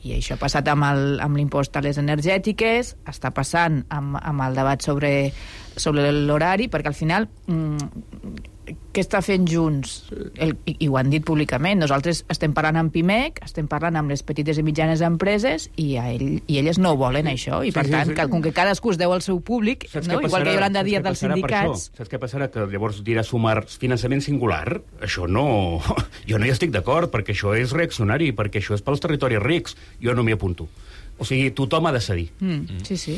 I això ha passat amb el, amb l'impost a les energètiques, està passant amb, amb el debat sobre, sobre l'horari, perquè al final mmm, què està fent Junts? El, i, i ho han dit públicament, nosaltres estem parlant amb Pimec, estem parlant amb les petites i mitjanes empreses, i, a ell, i elles no volen això, i per sí, tant, sí, sí. Que, com que cadascú es deu al seu públic, no? Igual que Yolanda Díaz dels sindicats... Saps què passarà? Que llavors dirà Sumar finançament singular? Això no... Jo no hi estic d'acord, perquè això és reaccionari, perquè això és pels territoris rics. Jo no m'hi apunto. O sigui, tothom ha de cedir. Mm, sí, sí.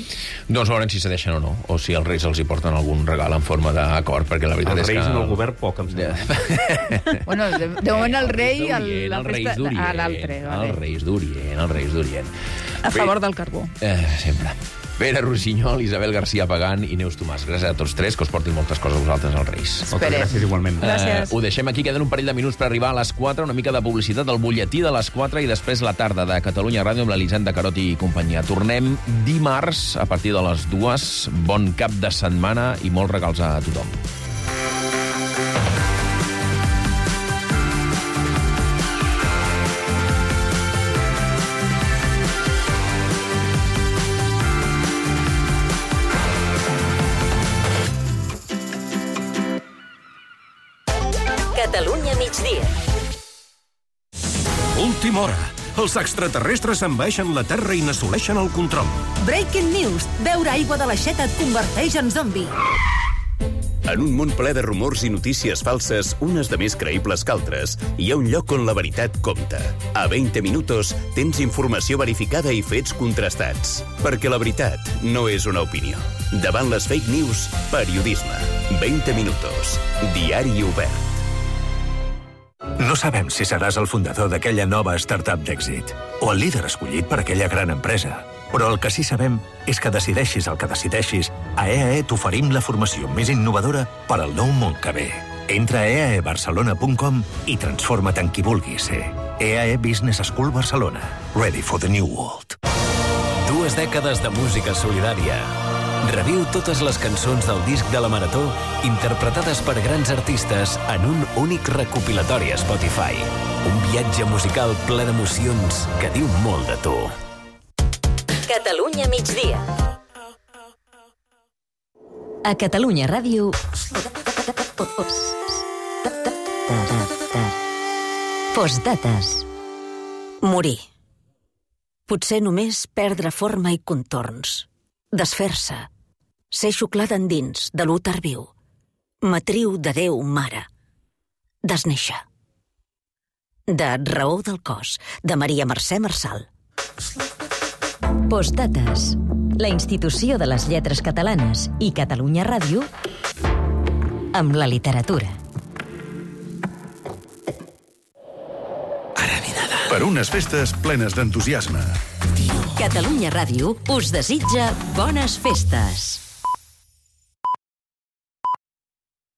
Doncs veurem si cedeixen o no, o si els reis els hi porten algun regal en forma d'acord, perquè la veritat els és que... Els reis en el govern poc, em sembla. Bueno, de, de moment el rei... El, el reis d'Orient, l'altre, vale. Els reis d'Orient, els reis d'Orient. A favor del carbó. Eh, sempre. Pere Rossinyol, Isabel García Pagán i Neus Tomàs. Gràcies a tots tres, que us portin moltes coses a vosaltres als Reis. Moltes gràcies igualment. Uh, ho deixem aquí, queden un parell de minuts per arribar a les quatre, una mica de publicitat del butlletí de les quatre i després la tarda de Catalunya Ràdio amb l'Elisenda Carot i companyia. Tornem dimarts a partir de les dues. Bon cap de setmana i molts regals a tothom. Catalunya migdia. Última hora. Els extraterrestres envaeixen la Terra i n'assoleixen el control. Breaking news. Beure aigua de l'aixeta et converteix en zombi. En un món ple de rumors i notícies falses, unes de més creïbles que altres, hi ha un lloc on la veritat compta. A vint minutos tens informació verificada i fets contrastats. Perquè la veritat no és una opinió. Davant les fake news, periodisme. vint minutos. Diari obert. No sabem si seràs el fundador d'aquella nova startup d'èxit o el líder escollit per aquella gran empresa. Però el que sí sabem és que decideixis el que decideixis, a E A E t'oferim la formació més innovadora per al nou món que ve. Entra a e a e barcelona punt com i transforma't en qui vulguis ser. E A E Business School Barcelona. Ready for the new world. Dues dècades de música solidària. Reviu totes les cançons del disc de la Marató interpretades per grans artistes en un únic recopilatori a Spotify. Un viatge musical ple d'emocions que diu molt de tu. Catalunya migdia. A Catalunya Ràdio... Postdates. Morir. Potser només perdre forma i contorns. Desfer-se. Ser xuclada endins de l'úter viu. Matriu de Déu mare. Desnéixer. De Raó del cos, de Maria Mercè Marçal. Postdates. La institució de les lletres catalanes i Catalunya Ràdio amb la literatura. Per unes festes plenes d'entusiasme. Catalunya Ràdio us desitja bones festes.